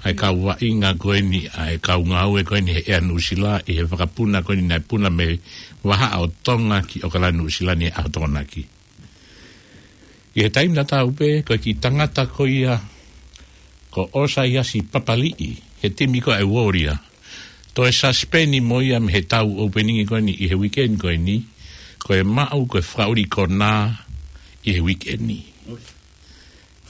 ʻa e kau vaʻinga ko eni, ʻa e kau ngāue ko eni he ʻea Nuʻusila ʻi he fakapuna ko eni naʻe puna mei Vahaʻa ʻo Tonga ki ʻOkalani Nuʻusila ni ʻa Tokonaki. ʻI he taimi tatau pē, ko e kiʻi tangata ko ia, ko ʻOsaiasi Papaliʻi, he timi ko ē ʻa e Uolia. Toe sasipeni mo ia mei he tau opening ko eni ʻi he weekend ko eni, ko e maʻu ko e fakaʻuli kona ʻi he weekend.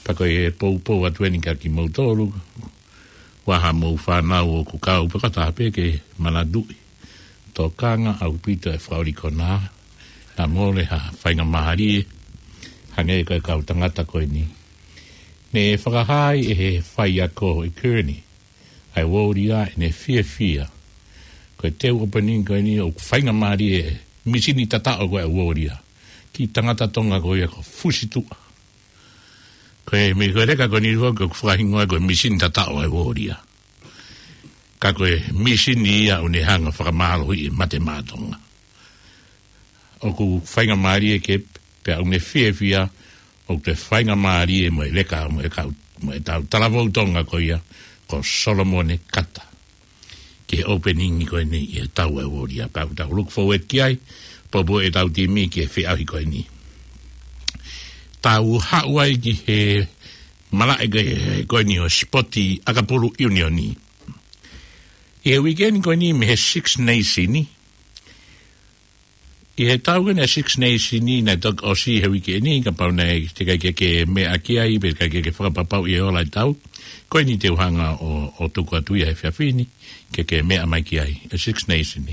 Pea ko e poupou atu eni kia kimoutolu, ʻoku ʻi ai haʻamou fānau ʻoku kau pē, kātaki pē ke manatuʻi. Tokanga ʻaupito e fakaʻuli kona, naʻa mole ha faingamālie, hangē ko e kau tangata ko eni. Ne fakahā ʻe he faiako ʻi Kearney, ʻa e Uolia, ʻene fiefia. Ko e tau opening ko eni ʻoku faingamālie e misini tataʻo ko ē ʻa e Uolia. Kiʻi tangata Tonga ko ia ko Fusi Tuʻa. Ko e mi-, ko e leka ko eni foki ʻoku fakahingoa ko e misini tataʻo ʻa e Uolia. Ka ko e misini ia ʻoku ne hanga ʻo fakamālohiʻi e mate maʻa Tonga. ʻOku faingamālie ke pea ʻoku ne fiefia, ʻoku toe faingamālie mo e leka mo e kau, mo e tau talavou Tonga ko ia, ko Solomone Kata. Ki he opening ko eni ʻi he tau ʻa e Uolia, pea ʻoku tau look forward ki ai, poupou e tau timi ki he feʻauhi ko eni. Tau haʻu ai ki he malaʻe ko ē, ko eni ʻo e sipoti ʻakapulu ʻiunioni. ʻI he weekend ko eni mei he Six Nation, ʻi he tau ko eni Six Nation naʻe toki ʻosi he weekend, kapau naʻe teʻeki ke ke meʻa ki ai, pe teʻeki ke ke fakapapauʻi e ola e tau. Ko eni te u hanga ʻo, ʻo tuku atu ia he efiafi ni, ke ke meʻa mai ki ai, e Six Nation.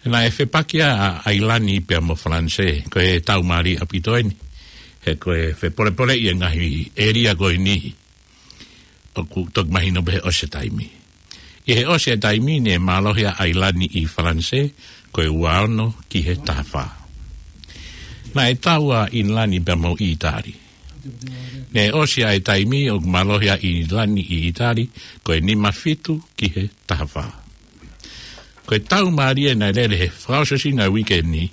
Naʻe fepaki ʻa ʻAilani pea mo Falanisē, ko e tau mālie ʻaupito eni. He ko e fepolepoleʻi e ngaahi ʻēlia ko eni. ʻOku toki mahino pē he ʻosi e taimi. ʻI he ʻosi e taimi ne mālohi ʻa ʻAilani ʻi Falanisē, ko e ua ono ki he taha fā. Naʻe tau ʻa ʻInilani pea mo ʻItali. Ne ʻosi ʻa e taimi ʻoku mālohi ʻa ʻInilani ʻi ʻItali, ko e nima fitu ki he taha fā. Ko e tau mālie naʻe lele he fakaʻosi ʻo e weekend ni,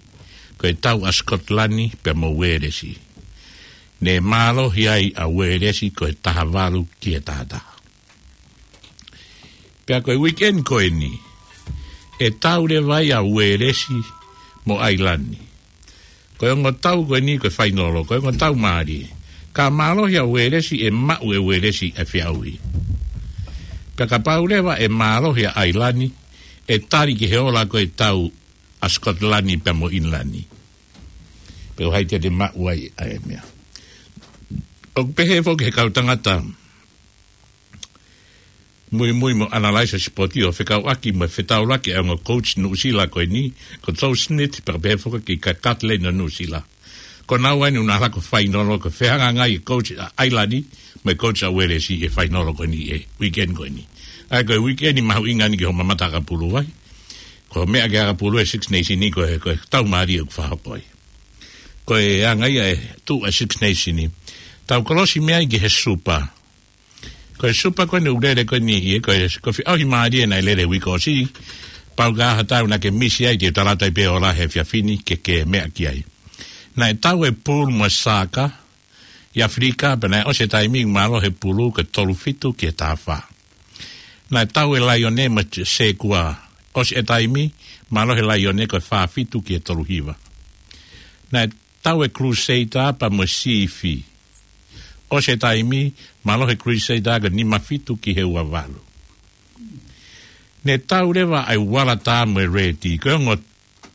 ko e tau ʻa Sikotilani pea mo Uēlesi. Ne mālohi ai ʻa Uēlesi ko e taha valu ki he taha taha. Pea ko e weekend ko eni, ʻe tau leva ai ʻa Uēlesi mo ʻAilani. Ko e ongo tau ko eni ko e fainolo, ko e ongo tau mālie. Ka mālohi ʻa Uēlesi ʻe maʻu ʻe Uēlesi e feʻauhi. Pea kapau leva ʻe mālohi ʻa ʻAilani, ʻe tali ki he ola ko e tau ʻa Sikotilani pea mo ʻInilani. Pea ʻoku ʻi ai te te maʻu ai ʻa e meʻa. ʻOku pehē foki he kau tangata muimui mo analyze sipoti ʻo fekauʻaki mo e fetaulaki ʻa e ongo coach Nuʻusila ko eni, ko Joe Schmidt, pea pehē foki kia Cuthland ʻo Nuʻusila. Ko naua eni ʻoku nau ʻalu ko e fainolo, ko e fehangahangai e coach ʻa ʻAilani mo e coach ʻa Uēlesi he fainolo ko eni he weekend ko eni. ʻA ia ko e weekend mahuʻinga eni ki hoʻo mamata ʻakapulu ai. Ko e meʻa ki he ʻakapulu e Six Nation ni ko e, ko e tau mālie ʻoku fakahoko ai. Ko e anga ia e tuʻu ʻa e Six Nation ni. Tau kolosi mei ai ki he Super. Ko e Super ko eni ʻoku lele ko eni ʻi he, ko e, ko e feʻauhi mālie naʻe lele he uike ʻosi. Pau ka ha tau naʻa ke misi ai te u tala atu ai pē ola he efiafi ni ke ke meʻa ki ai. Naʻe tau e pool mo e saka ʻi ʻAfilika, pea naʻe ʻosi e taimi ʻoku mālohi e pool ko e tolu fitu ki he taha fā. Naʻe tau e Laione mo e Sekua, ʻosi e taimi, mālohi e Laione ko e fā fitu ki he tolu hiva. Naʻe tau e Crusader pea mo e Sifi. ʻOsi e taimi, mālohi e Crusader ko e nima fitu ki he ua valu. Ne tau leva ʻa e Waratā mo e Reti, ko e ongo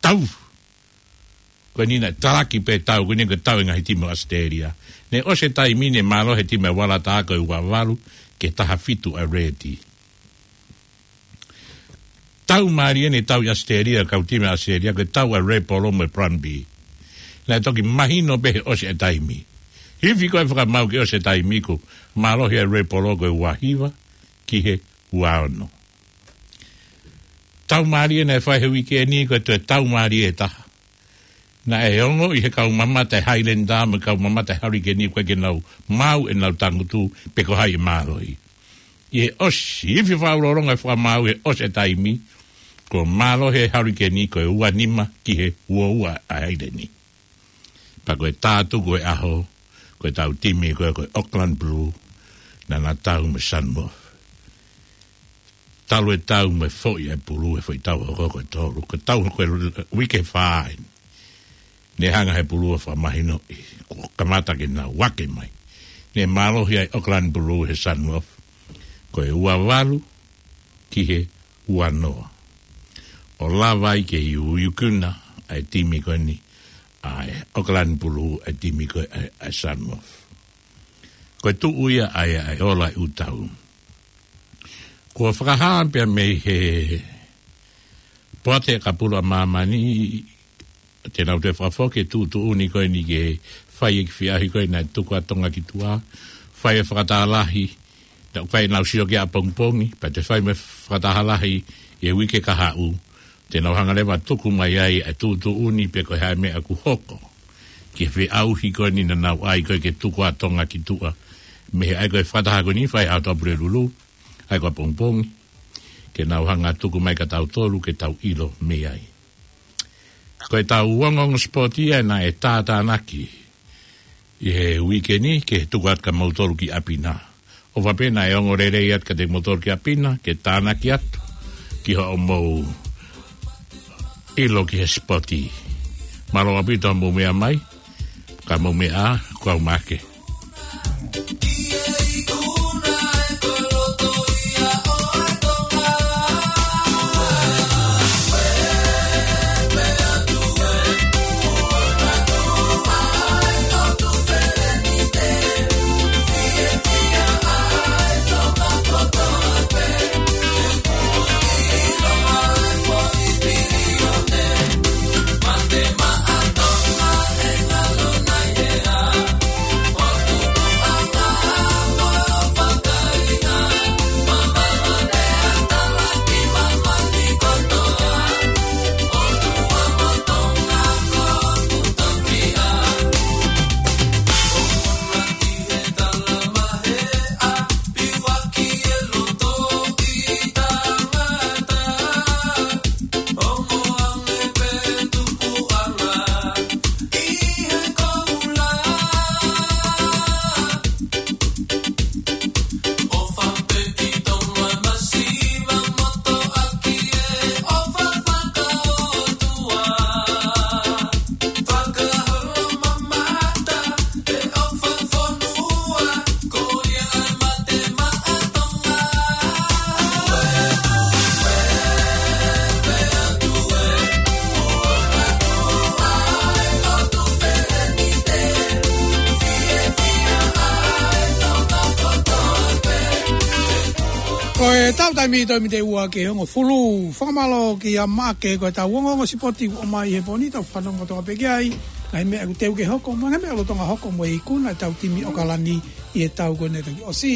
tau. Ko eni naʻe talaki pē tau, ko eni ko e tau e ngaahi timi ʻo ʻAositelēlia. Ne ʻosi e taimi ne mālohi e timi ʻa e Waratā ko e ua valu ki he taha fitu ʻa e Reti. Tau mālie ne tau ʻi ʻAositelēlia, kau timi ʻa ʻAositelēlia, ko e tau ʻa e Red Polo mo e Brumbies. Naʻe toki mahino pē he ʻosi e taimi. Hifo ko e fakamaau ki he ʻosi e taimi kuo mālohi ʻa e Red Polo ko e ua hiva ki he ua ono. Tau mālie naʻe fai he uike ni ko e toe tau mālie ʻe taha. Naʻe ongoʻi he kau mamata e Highlander mo e kau mamata e Hurricane ʻoku ʻikai ke nau maau ʻenau tangutu pe ko hai ʻe mālohi. ʻi he ʻosi, ifi fakaʻulolonga e fakamaau he ʻosi e taimi, kuo mālohi e Hurricane ko e ua nima ki he ua ua ʻa e ʻaileni. Pea ko e tātuku e ʻaho, ko e tau timi ko e, ko e Auckland Blue, naʻa na tau mo e Sunwolf. Talu e tau mo e foʻi ʻa e pulu, e foʻi tau hoko ko e tolu, ko e tau hoko e uike fā eni. Ne hanga he pulu ʻo fakamahinoʻi, kuo kamata ke nau ake mai. Ne mālohi ʻa e Auckland Blue he Sunwolf, ko e ua valu ki he ua noa. ʻO lava ai ke iuiukuna ʻa e timi ko eni, ʻa e Auckland Blue ʻa e timi ko e, ʻa e, ʻa e Sunwolf. Ko e tuʻu ia ʻa e, ʻa e ola ʻi ʻū tau. Kuo fakahā pea mei he poate ʻakapulu ʻa māmani, te nau toe fakafoki e tuʻutuʻuni ko eni ke fai e kiʻi feʻauhi ko ē naʻe tuku ʻa Tonga ki tuʻa, fai e fakataha lahi, naʻe fai ʻenau sio ki ʻapongipongi, pea toe fai mo e fakataha lahi ʻi he uike kahaʻu, te nau hanga leva ʻo tuku mai ai ʻa e tuʻutuʻuni pe ko e hā e meʻa ʻoku hoko ki he feʻauhi ko eni naʻa nau ʻai ko ē ke tuku ʻa Tonga ki tuʻa. Mei he ʻai ko ē fakataha ko eni fai ʻaho Tuʻapulelulu, ʻai ko ē ʻapongipongi, ke nau hanga ʻo tuku mai kia tautolu ke tau ʻilo mei ai. Ko e tau ongoongo sipoti ia naʻe tātānaki ʻi he uike ni ke tuku atu kia moutolu ki ʻapi na. ʻOfa pē naʻe ongo lelei atu kiate kimoutolu ki ʻapi na, ke tānaki atu ki hoʻomou ʻilo ki he sipoti. Mālō ʻaupito hoʻomou meʻa mai, ka mou meʻa ā, kuo u mā ake. Ko e tau taimi toe mite ua ki he hongofulu, fakamālō kia Maʻake, ko e tau ongoongo sipoti ʻoku ʻomai he pō ni, tau fanongo kotoa pē ki ai, ngaahi meʻa ʻoku teu ke hoko, mo e ngaahi meʻa lolotonga hoko mo e ikuna e tau timi ʻAokalani ʻi he tau ko eni naʻe toki ʻosi.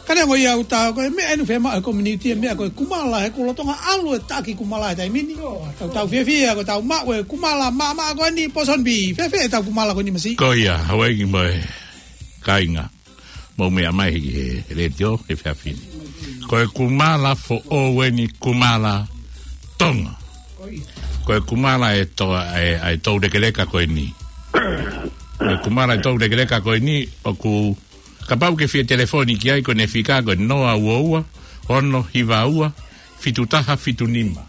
Ka neongo ia ʻoku tau ko e meʻa eni ʻoku fiemaʻu he community e meʻa ko e kumala, he kuo lolotonga ʻalu e taki kumala he taimi ni. Tau tau fiefia ko e tau maʻu e kumala maʻamaʻa ko eni Pōsoni Pī. Fēfē e tau kumala ko eni Masi? Ko ia, Hauaiki mo e kāinga, mou meʻa mai he, he letiō he efiafi ni. Ko e kumala foʻou eni, kumala Tonga. Ko e kumala e to-, e, e toulekeleka ko eni. Ko e kumala e toulekeleka ko eni, ʻoku kapau ke fie telefoni ki ai, ko ʻene fika ko e noa ua ua, ono hiva ua, fitu taha fitu nima.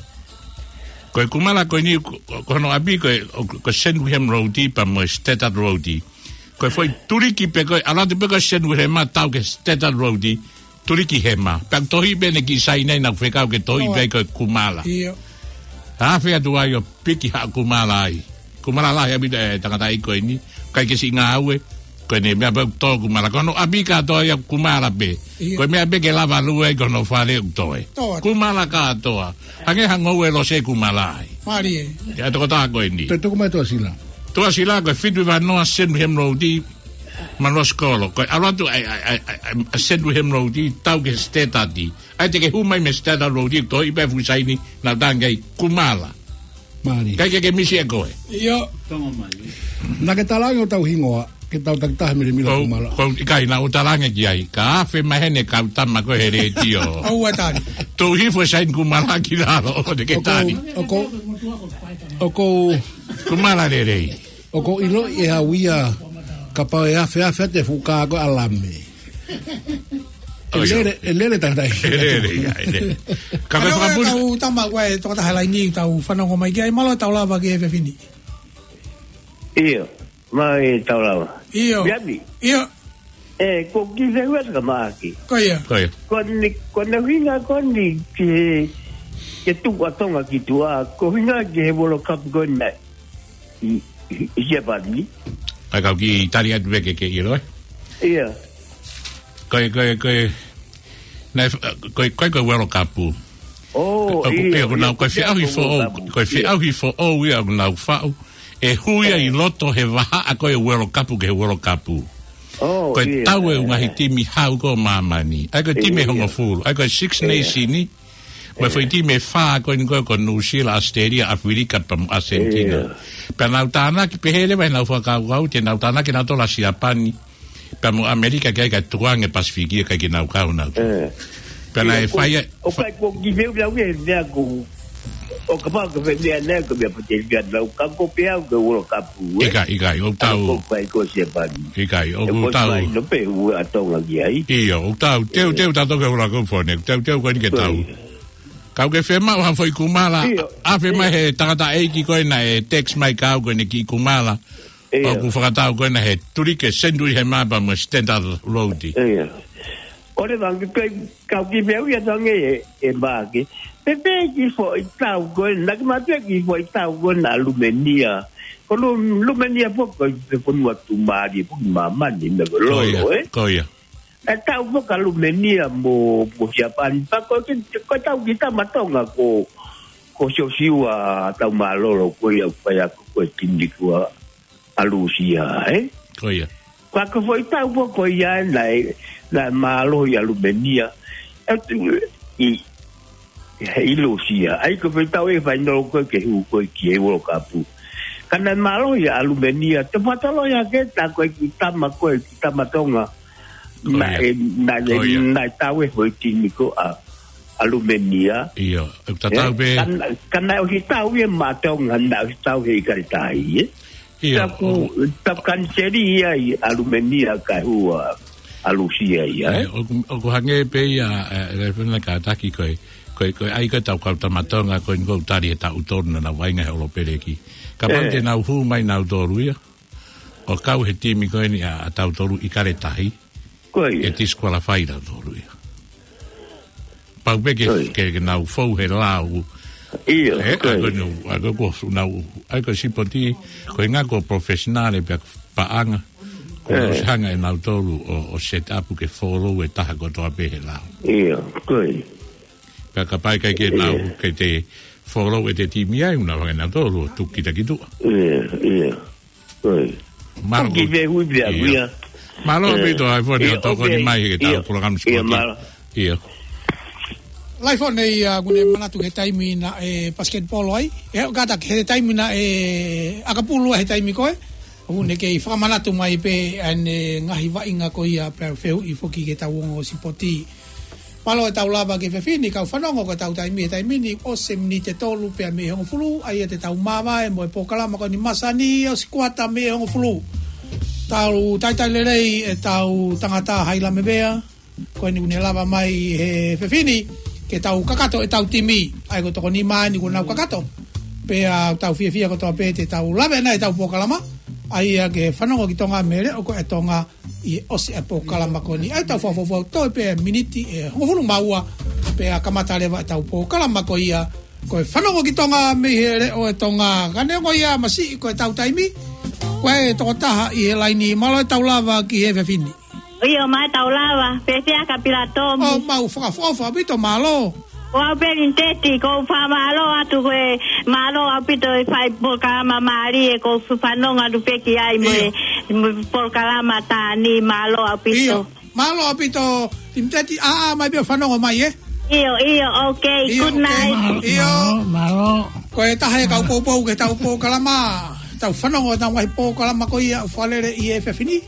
Ko e kumala ko eni, ko, ko hono ʻapi ko e, ko, ko Sandringham Road pea mo e Statard Road. Ko e foʻi tuliki pē ko ē, ʻalu atu pē ko Sandringham ʻo tau ki he Statard Road, tuliki hema. Pea tohi pē ʻene kiʻi saini naʻa ku fekau ke tohi pē ko e kumala. ʻIo. Afe atu ai ʻo piki ha kumala ai. Kumala lahi ʻaupito e tangataʻeiki ko eni. ʻIkai ke siʻi ngāue. Ko ʻene meʻa pē ʻoku tō kumala. Ko hono ʻapi kātoa ia kumala pē. ʻIo. Ko e meʻa pē ke lava lue ai ko hono fale ʻoku toe. Tō atu. Kumala kātoa. Hangē ha ngoue lose kumala ai. Mālie. ʻIa tokotaha ko eni. Toe tuku mai Tuʻasila. Tuʻasila ko e fitu hiva noa Sandringham Road, Manuʻa Sikolo. Ko e ʻalu atu ʻa, ʻa, ʻa, ʻa, ʻa Sandringham Road, tau ki he Statard. ʻAi te ke hū mai mei he Statard Road, tohi pē fuʻu saini naʻa ku tangi ai kumala. Mālie. ʻIkai ke ke misi ʻe koe. ʻIo. Tonga mai. Naʻa ke talaange ʻo tau hingoa. Ke tau takitaha Milemila Kumala. Ko, ʻikai naʻa ku talaange ki ai. Ka afe mai heni kau tama ko e he letiō. ʻOua tali. Tau hifo e saini Kumala ki lalo, ʻo te ke tali. ʻOku, ʻoku, Kumala lelei. ʻOku ʻiloʻi ʻe au ia kapau ʻe afe afe atu e fuʻu kā ko e ʻalame. ʻE lele, ʻe lele tangata ʻi. ʻE lele, ia, ʻe lele. Ka ko e fakapuli. Tau tama ko e tokotaha laini tau fanongo mai ki ai, mālō e tau lava ki he fefine. ʻIo, mālō e tau lava. ʻIo. Miami. ʻIo. ʻE, ko ki he ua ka maaki. Ko ia. Ko ia. Ko ni, ko na hinga ko ni ki he, ke tuku ʻa Tonga ki tuʻa, ko hinga ki he World Cup ko na. ʻI, ʻi, ʻi Siapani. ʻAi kau kiʻi tali atu pē ke ke ʻilo, ē? ʻIo. Ko e, ko e, ko e, naʻe, ko e, ko e, ko e World Cup. ʻO, ʻoku, ʻio, ʻoku nau, ko e feʻauhi foʻou, ko e feʻauhi foʻou ia ʻoku nau faʻu. ʻE hui ia ʻi loto he vahaʻa ko e World Cup ki he World Cup. Ko e tau e ngaahi timi hau ko māmani. ʻAi ko e timi ʻe hongofulu. ʻAi ko e Six Nation. Mo e foʻi timi ʻe fā ko eni ko e ko Nuʻusila, ʻAositelēlia, ʻAfilika, pea mo ʻAsentina. Pea nau tānaki pehē leva ʻenau fakakaukau, te nau tānaki nautolu ʻa Siapani. Pea mo ʻAmelika ke ʻai ka tukuange Pasifiki ʻikai ke nau kau nautolu. Pea naʻe fai ʻa, ʻoku ʻikai ko ki feu lau e mea ko, ʻo kapau ko fē mea nai ko mea pate mea nau ka ko pea ko World Cup, ē? ʻIkai, ʻikai, ʻoku tau. Ko ʻikai ko Siapani. ʻIkai, ʻoku tau. No pe ua ʻa Tonga ki ai. ʻIo, ʻoku tau. Teu, teu, tau toke ula ko fone. Teu, teu, ko eni ke tau. Kau ke fema ʻo ha foʻi Kumala. ʻIo. Afe mai he tangataʻeiki ko ena ʻe text mai kau ko eni ki Kumala. ʻIo. ʻOku fakatau ko ena he tulike Sendui he mapa mo Standard Road. ʻIo. ʻOle vang ke kai kau ki peu ia tange e, e maake. Pe pe ki foʻi tau ko ena, ki mate ki foʻi tau ko ena Lumenia. Ko Lu-, Lumenia foʻi ko e fonua tuʻumālie foʻi māmani, me ko lolo, ē? Ko ia. E tau foka Lumenia mo, mo Siapani. Pea ko e, ko e tau ki Tamatonga ko, ko Siosiua Taumālolo, ko ia, ko ia, ko e timi ko ʻa Lūsia, ē? Ko ia. Ka ko e foʻi tau foka ko ia naʻe, naʻe mālohi ʻa Lumenia. E tu, ʻi, ʻi Lūsia. ʻAi ko e foʻi tau e fainolo ko e ke hū ko e ki he World Cup. Ka naʻe mālohi ʻa Lumenia. Te patalo ia ke ta ko e ki Tama ko e ki Tamatonga. Naʻe, naʻe, naʻe tau e foʻi timi ko ʻa, ʻa Lumenia. ʻIo, ʻoku tatau pē. Ka naʻe, ka naʻe ʻosi tau ia maʻa Tonga, naʻe ʻosi tau he ʻIkale Tahi, ē? ʻIo, taku, taku kaniseli ia ʻa Lumenia ka hū ʻa, ʻa Lūsia ia, ē? ʻIo, ʻoku, ʻoku hangē pē ia, ē, ē, fena kātaki ko e, ko e, ko e ʻai ko e tau kau Tamatonga, ko e ʻoku tali he taʻu tolu naʻa nau vaʻinga he ʻolopeleki. Kapau te nau hū mai nautolu ia. ʻO kau he timi ko eni ʻa, ʻa tautolu ʻIkale Tahi. Ko ia. ʻE disqualify tautolu ia. Pau pē ke, ke, ke nau fou he lau. ʻIo, ʻe, ko ia. ʻAi ko eni, ʻai ko e ko nau, ʻai ko e sipoti, ko e ngaahi ko professional pea paʻanga. Ko nau ʻosi hanga ʻe nautolu ʻo, ʻo set up ke follow e taha kotoa pē he lau. ʻIo, ko ia. Pea kapau ʻikai ke nau, ke te follow ʻe te timi ai, ʻoku nau hanga ʻe nautolu ʻo tuku kita ki tuʻa. ʻIo, ʻio. Mālō. Ki he hui pea kuia. Mālō ʻaupito ʻa e fone ʻo tokoni mai he tau polokalama sipoti. ʻIo. Laifone ia, ʻoku ne manatu ki he taimi naʻe basketball ai. ʻE, kātaki he taimi naʻe ʻakapulu he taimi ko ē. ʻOku ne kei fakamanatu mai pē ʻa e ngaahi vaʻinga ko ia pea fehuʻi foki ki he tau ongo sipoti. Mālō e tau lava ki he fefine, kau fanongo ko e tau taimi he taimi ni, ʻosi e miniti ʻe tolu pea mei he hongofulu, ʻa ia te tau māvae mo e polokalama ko eni masani, ʻosi kuata mei he hongofulu. Tau talitali lelei e tau tangata hai lamevea, ko eni ʻoku ne lava mai he fefine, ke tau kakato e tau timi, ʻa ia ko e toko nima eni ʻoku nau kakato. Pea tau fiefia kotoa pē te tau lave ʻanai e tau polokalama, ʻa ia ke fanongo ki Tonga mei he leʻo ko e Tonga, ʻi he ʻosi e polokalama ko eni. ʻAi tau fakafoʻou toe pē miniti ʻe hongofulu mā ua, pea kamata leva e tau polokalama ko ia. Ko e fanongo ki Tonga mei he leʻo e Tonga. Ka neongo ia masiʻi ko e tau taimi. Ko e tokotaha ʻi he laini, mālō e tau lava ki he fefine. ʻIo, mai tau lava, pēpea ka pila tōmu. ʻO mau fakaʻofoʻofa ʻaupito, mālō. Ko au pē Liniteti, ʻoku ou fakamālō atu ko e mālō ʻaupito e fai polokalama mālie, ʻoku ou fanongo atu pē ki ai mo e, mo e polokalama tā ni, mālō ʻaupito. ʻIo, mālō ʻaupito, Liniteti, ʻā, ʻā, mai pē fanongo mai, ē? ʻIo, ʻio, okay, good night. ʻIo. Mālō, mālō. Ko e taha e kau poupou ki he tau polokalama. Tau fanongo ʻetau ngaahi polokalama ko ia ʻoku fakalele ʻi he efiafi ni.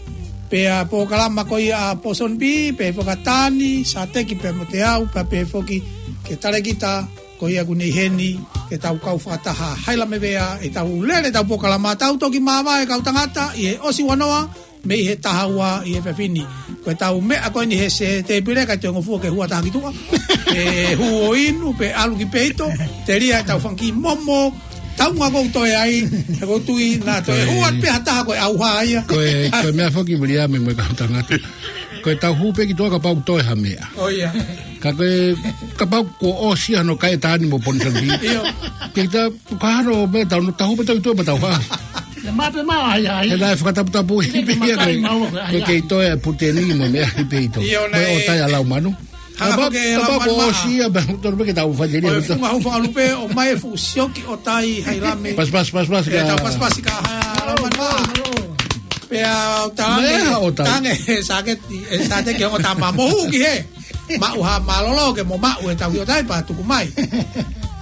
Pea polokalama ko ia ʻa Pōsoni Pī, pea fakatani, Sāteki pea mo Teau, pea pehē foki ki he talēkita ko ia kuo ne ʻi heni, ke tau kau fakataha. Haila me vea ʻetau lele ʻetau polokalama, tau toki māvae kau tangata ʻi he ʻosi ua noa, mei he taha ua ʻi he efiafi ni. Ko ʻetau meʻa ko eni he se tēpile, ʻikai toe ngofua ke hua taha ki tuʻa. ʻE hū ʻo inu, pea ʻalu ki peito, telia ʻetau fanga kiʻi momo, tau ngā kou toe ai, he ʻoku ou tui naʻa toe Ko e hua pē ha taha ko e ʻauha ia. Ko e, ko e meʻa foki Viliami mo e kau tangata. Ko ʻetau hū pē ki tuʻa kapau toe ha meʻa. ʻO ia. Ka ko e, kapau kuo ʻosi hano kai tani mo Pōsoni Pī. ʻIo. Ke ta, ka hano meʻa tau, tau hū pē tau ki tuʻa mo tau hā. He naʻe fakataputapu ʻi pē ia ko e, ko e kei toe ʻa Puteni mo e meʻa ʻi peito. ʻIo, ko e naʻe ʻOtai ʻa Laumanu. Hanga Kapau, foki ʻe kapau Laumanu kuo ʻosi ia, pea tau pē ke tau fai teli Ko e funga hau fakalupe ʻo mai e fuʻu sioki ʻOtai Hailame. Pas, pas, pas, pas, Pea ka tau pas, pas, ka ha Laumanu. Pea ʻo tange, Meʻa ʻOtai. tange, ʻe Sāteki, ʻe Sāteki ʻo tama mohu ki he. Maʻu ha mālōlō ke mo maʻu ʻetau ʻOtai pea tuku mai.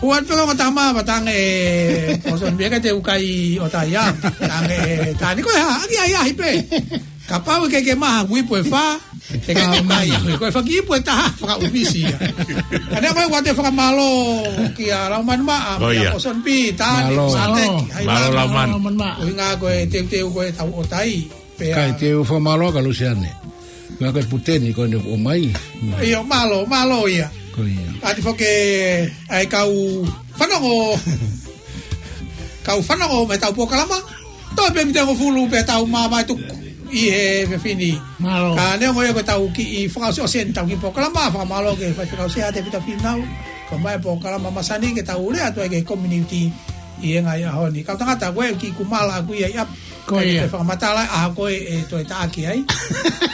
Huan pē ʻo tama pea tange, ʻo son pē ke te u kai ʻOtai ia. Tange, tani ko e hā, ʻaki ai ahi pē. Kapau ʻe ke ke maha kui pue fa, te ke ke mai, ko e faki pue taha, fakaʻupisi ia. Ane ko e ua te fakamālō kia Laumanu Maʻa, Ko ia. kia Pōsoni Pī, tani, Mālō. Sāteki, Mālō. Hailame. Mālō Laumanu. Mālō Laumanu. ʻUhinga ko e teuteu ko ʻetau ʻOtai. Pea Kai te u fakamālō ka Lusiane. Ngā ko e Puteni ko ʻene ʻomai. ʻIo, mālō, mālō ia. Ko ia. ʻAti foki ʻa e kau fanongo. Kau fanongo mei heʻetau polokalama. Toe pē miniti ʻe hongofulu pea tau māvae tuku ʻi he efiafi ni. Mālō. Ka neongo ia ko ʻetau kiʻi fakaʻosiʻosi eni ʻetau kiʻi polokalama, fakamālō ki he faifekau Sea Tēvita Fīnau. Ko e mai polokalama masani ke tau lea atu ai ki he community ʻi he ngaahi ʻaho ni. Kau tangata ko e kiʻi kumala ʻaku ia ʻi ʻapi. Ko ia. Kae fakamatala ʻa ko e, ʻe toe taʻaki ai.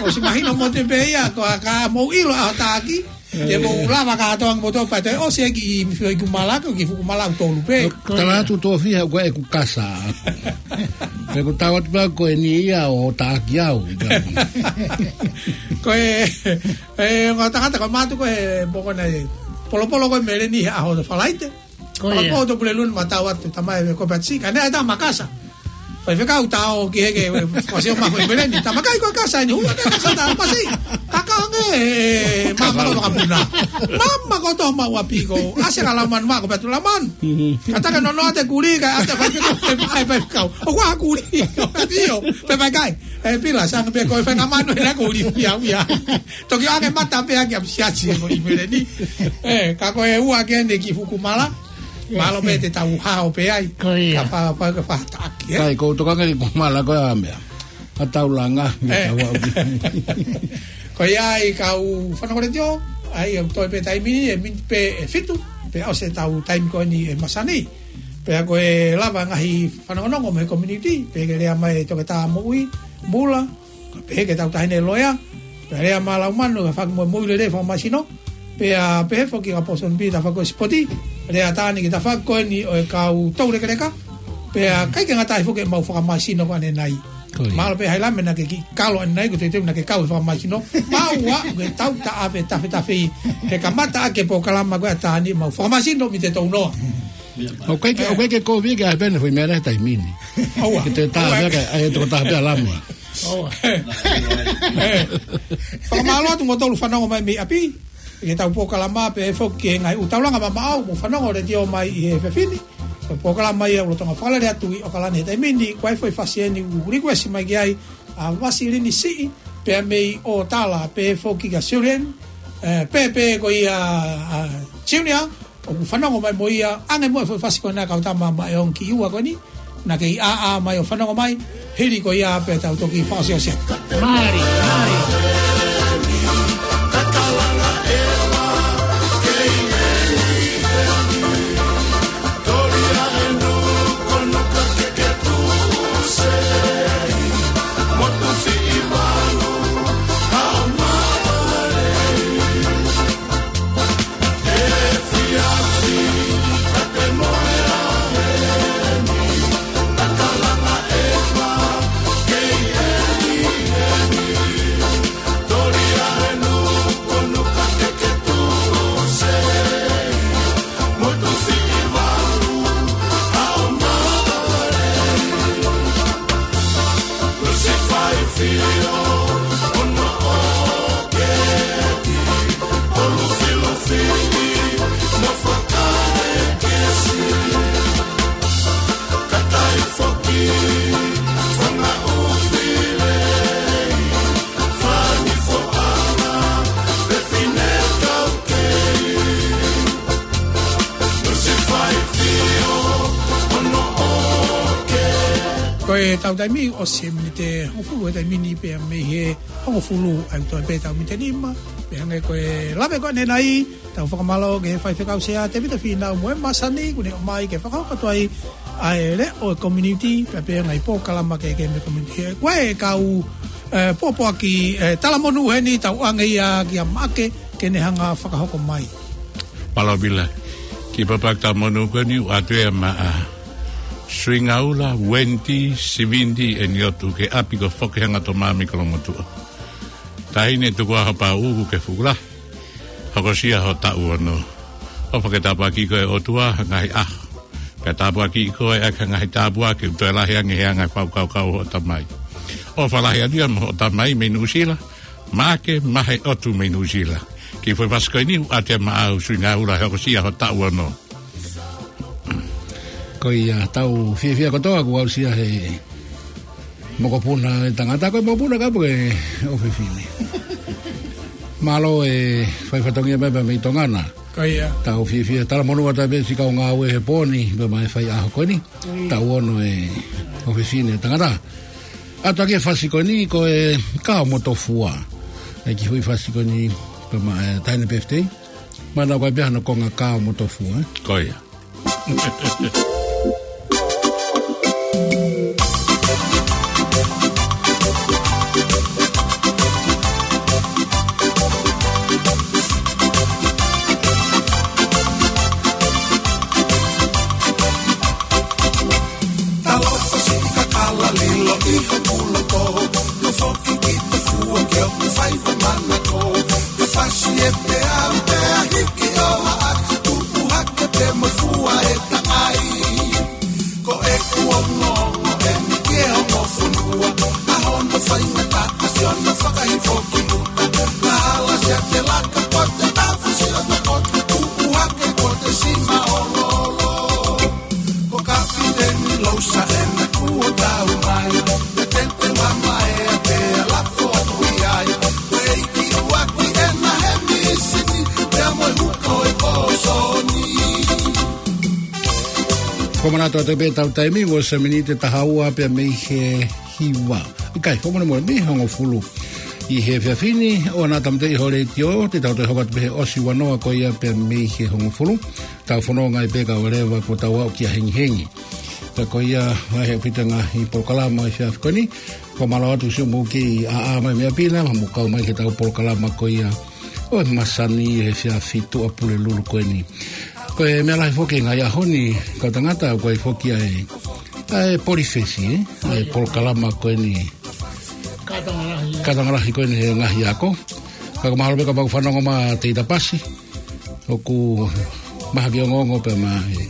ʻOsi mahino mo te pē ia, ko a ka mou ʻilo ʻa taʻaki. Te mou lava ka toang mo tō pea toe ʻosi e kiʻi mifio ʻi kumala ko e kiʻi fuʻu kumala ʻoku tolu pē. Ko ia. Tala atu tō fiha ko e ku kasa. Pe ko tau atu pea ko eni ia ʻo taʻaki au. Ko e, e, ngā tangata ko mātu ko e poko na e. Polopolo ko e meleni he ʻaho Falaite. Ko ia. Pea ko Topuleluni ma tau atu tamai e ko pati ka ne ai ta makasa. Faifekau tau ki he ke, e, fasi o ma ko e meleni. Tamakai ko e kasa ni, hua ke kasa ta pasi. Kaka nge, e, mama ko vakapuna. Mama ko tō ma ua piko. ʻAse ka Laumanu ma ko patu Laumanu. Mhm. Ka taka nono ate kuli, ka ate faifekau, e, e, faifekau. ʻO kua kuli. ʻIo, pe mai kai. E, pila, sanga pe ko e faingamanu, e, na kuli, ia, ia. Toki ake mata pē ake ʻa siasi e ko i meleni. E, ka ko e ua ke ne kiʻi fuʻu kumala. Mālō pē te tau hao pē ai. Ko ia. Ka fa-, fa-, ka fataʻaki, e. Kai, ko u tokanga ki he kumala ko e ʻa meʻa. ʻA tau langa, ʻe. Tau au. Ko ia ai kau fanongo letiō, ai au toe pē taimi ni, e miniti pē ʻe fitu, pea ʻosi ʻetau taimi ko eni ʻi he masani. Pea ko e lava ngaahi fanongonongo mei he community, pea ke lea mai e Toketā Moʻui, Mula, Ka pehē ke tau taʻahine loea, pea lea mai Laumanu, ka faki mo e moʻui lelei fakamasino, pea pehē foki ka Pōsoni Pī, tafaʻaki ko e sipoti, lea tani ki he tafaʻaki ko eni ʻo e kau toulekeleka, pea ʻikai ke ngata ai foki ʻemau fakamasino ko ʻanenai. Ko ia. Mālō pē Hailame naʻa ke kiʻi kalo ʻanenai, ko e teuteu naʻa ke kau he fakamasino. Mau ua, ke tau taʻafe, tafe, tafe ʻi he kamata ʻaki e polokalama ko e ʻa Tani, mau fakamasino mei he tounoa. ʻOku ʻikai ke, ʻoku ʻikai ke kovi ke ʻai pē ʻene foʻi meʻa he taimi ni. ʻOua. Ke te tā ʻOua. Pē ke, ʻai toko tā pē ʻa Lame. ʻOua. Fakamālō atu mo tolu fanongo mai mei ʻapi. Ke tau polokalama pē foki ki he ngaahi ʻū taulanga mamaʻo, mo fanongo letiō mai ʻi he efiafi ni. Ko e polokalama ia ʻoku lolotonga fakalele atu ʻi ʻAokalani he taimi ni, ko e foʻi fasi eni ʻoku request mai ki ai, ʻa Vasilini Siʻi, pea mei ʻOtala, pē foki kia Julian, e, pē, pē ko ia, ʻa Junior, ʻoku fanongo mai mo ia, ʻange mo e foʻi fasi ko ena kau tama ma e ongo kiʻi ua ko eni, naʻa ke ʻi ʻā ʻā mai ʻo fanongo mai, hili ko ia pea tau toki fakaʻosiʻosi atu. Mālie, mālie. Ko e tau taimi ʻosi e miniti hongofulu he taimi ni pea mei he hongofulu ʻa e toe pē tau miniti nima, pea hangē ko e lave ko eni nai, tau fakamālō ki he faifekau sea Tevita Fīnau mo e masani kuo ne ʻomai ke fakahoko atu ai ʻa e leʻo ʻo e community, pea pea ngaahi polokalama kehekehe mei he community. Ko e kau, ē, pōpoaki, ē, talamonū heni tau ʻoange ia kia Maʻake ke ne hanga fakahoko mai. Mālō Vila, ki he pōpoaki talamonū ko eni ʻoatu ia maʻa Suingaula, Wendy, Sivindi, ʻEni ʻOtu ke ʻapi ko Foki Hangatoma mei Kolongotuʻa. Taʻahine Tukuʻaho Pauʻu ke fuʻu lahi, hokosia ho taʻu ono. ʻOfa ke tāpuakiʻi koe ʻe he ʻOtua ha ngaahi ʻaho. Pea tāpuakiʻi koe ʻaki ha ngaahi tāpuaki ʻoku toe lahi ange he anga e fakakaukau hoʻo tamai. ʻOfa lahi atu ia mo hoʻo tamai mei Nuʻusila, Maʻake Mahe ʻOtu mei Nuʻusila. Ki he foʻi fasi ko eni ʻoatu ia maʻau Suingaula he hokosia ho taʻu ono. Ko ia, tau fiefia kotoa kuo aʻusia he mokopuna e tangata, ko e mokopuna ka ʻoku ʻofefine. Mālō e fai fatongia mai pea mei Tonga na. Ko ia. Tau fiefia talamonū atu pē siʻi kau ngāue he pō ni, pea mei he faiʻaho ko eni. Ui. Taʻu ono e ʻofefine tangata. ʻOatu ki he fasi ko eni ko e Kao mo Tofua. ʻE ki he foʻi fasi ko eni pea mei he, ē, taʻahine Birthday. Mana ko e pehē hono konga Kao mo Tofua, ē? Ko ia. Talofa siʻi kakala lilo ʻi hoku loto, no foki ki Tofua ke ʻoku fai ho manako. Te fasi e peau pea hiki ʻo haʻa, tupu hake pē mo fua e takai. Ko ʻeku ongoongo eni ki he ongo fonua, ʻa hono faingataʻa siʻono fakahifo ki Luta. Naʻa hala sia te laka ko te tafu siʻono ko te tupu hake ko te sima oloolo. Ko Kapiteni Lousa ena kuo tau mai, te tente wa mai a te alafo atu i ai. Wei ki uaki ena he misini, pea mo e huko e pōsoni. Ko manatu atu pē tau taimi, ua se miniti taha ua pea mei he hiva. ʻIkai, fakamolemole, mei he hongofulu. ʻI he efiafi ni, ʻoua naʻa tāmateʻi ho letiō, te tau toe hoko atu pē he ʻosi ua noa ko ia pea mei he hongofulu. Tau fononga ai pē kae ʻoua leva kuo tau aʻu kia hengihengi. Pea ko ia, ʻa e ʻaupito ngaahi polokalama ʻi he efiafi ko eni. Fakamālō atu siʻomou kei ʻaʻa mai mei ʻapi na, mo kau mai ki heʻetau polokalama ko ia ʻo e masani he efiafi Tuʻapulelulu ko eni. Ko e meʻa lahi foki he ngaahi ʻaho ni, kau tangata, ko e foki ʻa e, ʻa e Polifesi, ē? ʻA e polokalama ko eni. Kātanga lahi. Kātanga lahi ko eni he ngaahi ako. Ka ko mahalo pē kapau ʻoku fanongo mai Teita Pasi, ʻoku mahaki ongoongo pē mai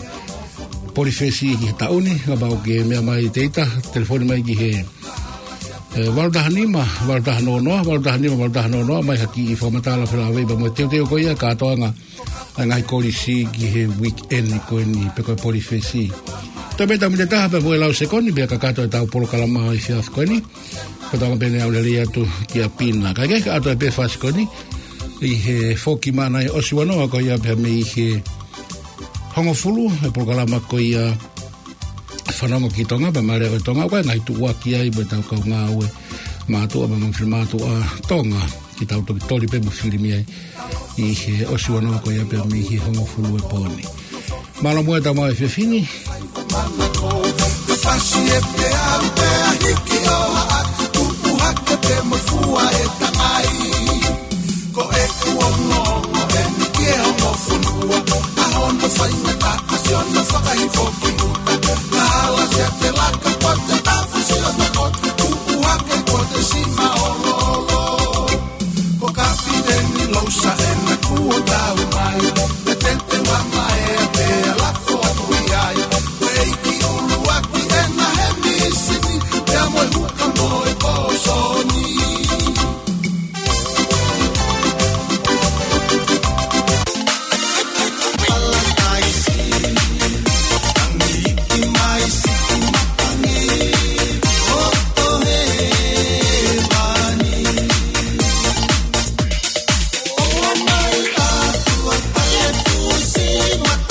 Polifesi ki he taʻu ni, kapau ʻoku ke meʻa mai Teita, telefoni mai ki he, ē, valu taha nima, valu taha noa noa, valu taha nima, valu taha noa noa, mai haʻaku kiʻi fakamatala felāveʻi pea mo e teuteu ko ia kātoanga ʻa e ngaahi kolisi ki he weekend ko eni pe ko e Polifesi. Tau pē tau miniti taha pea mo e lau sekoni pea kakato ʻetau polokalama ʻi he efiafi ko eni. Ko tau pē ne au lelei atu ki ʻapi na. Kae kehe, ʻoatu pē fasi ko eni ʻi he foki mai ʻa e ʻosi ua noa ko ia pea mei he hongofulu, e polokalama ko ia Fanongo ki Tonga, pea mo e Leʻo ʻo Tonga, ko e ngaahi tuʻuaki ai mo ʻetau kau ngāue mātuʻa, pea mo e finemātuʻa Tonga, ke tau toki toli pē mo filimia ai ʻi he ʻosi ua noa ko ia pea mei he hongofulu e pō ni. Mālō muʻa ʻetau maʻu e efiafi ni. Te fasi e peau pea hiki ʻo haʻa, tupu hake pē mo fua e takai. Ko ʻeku ongo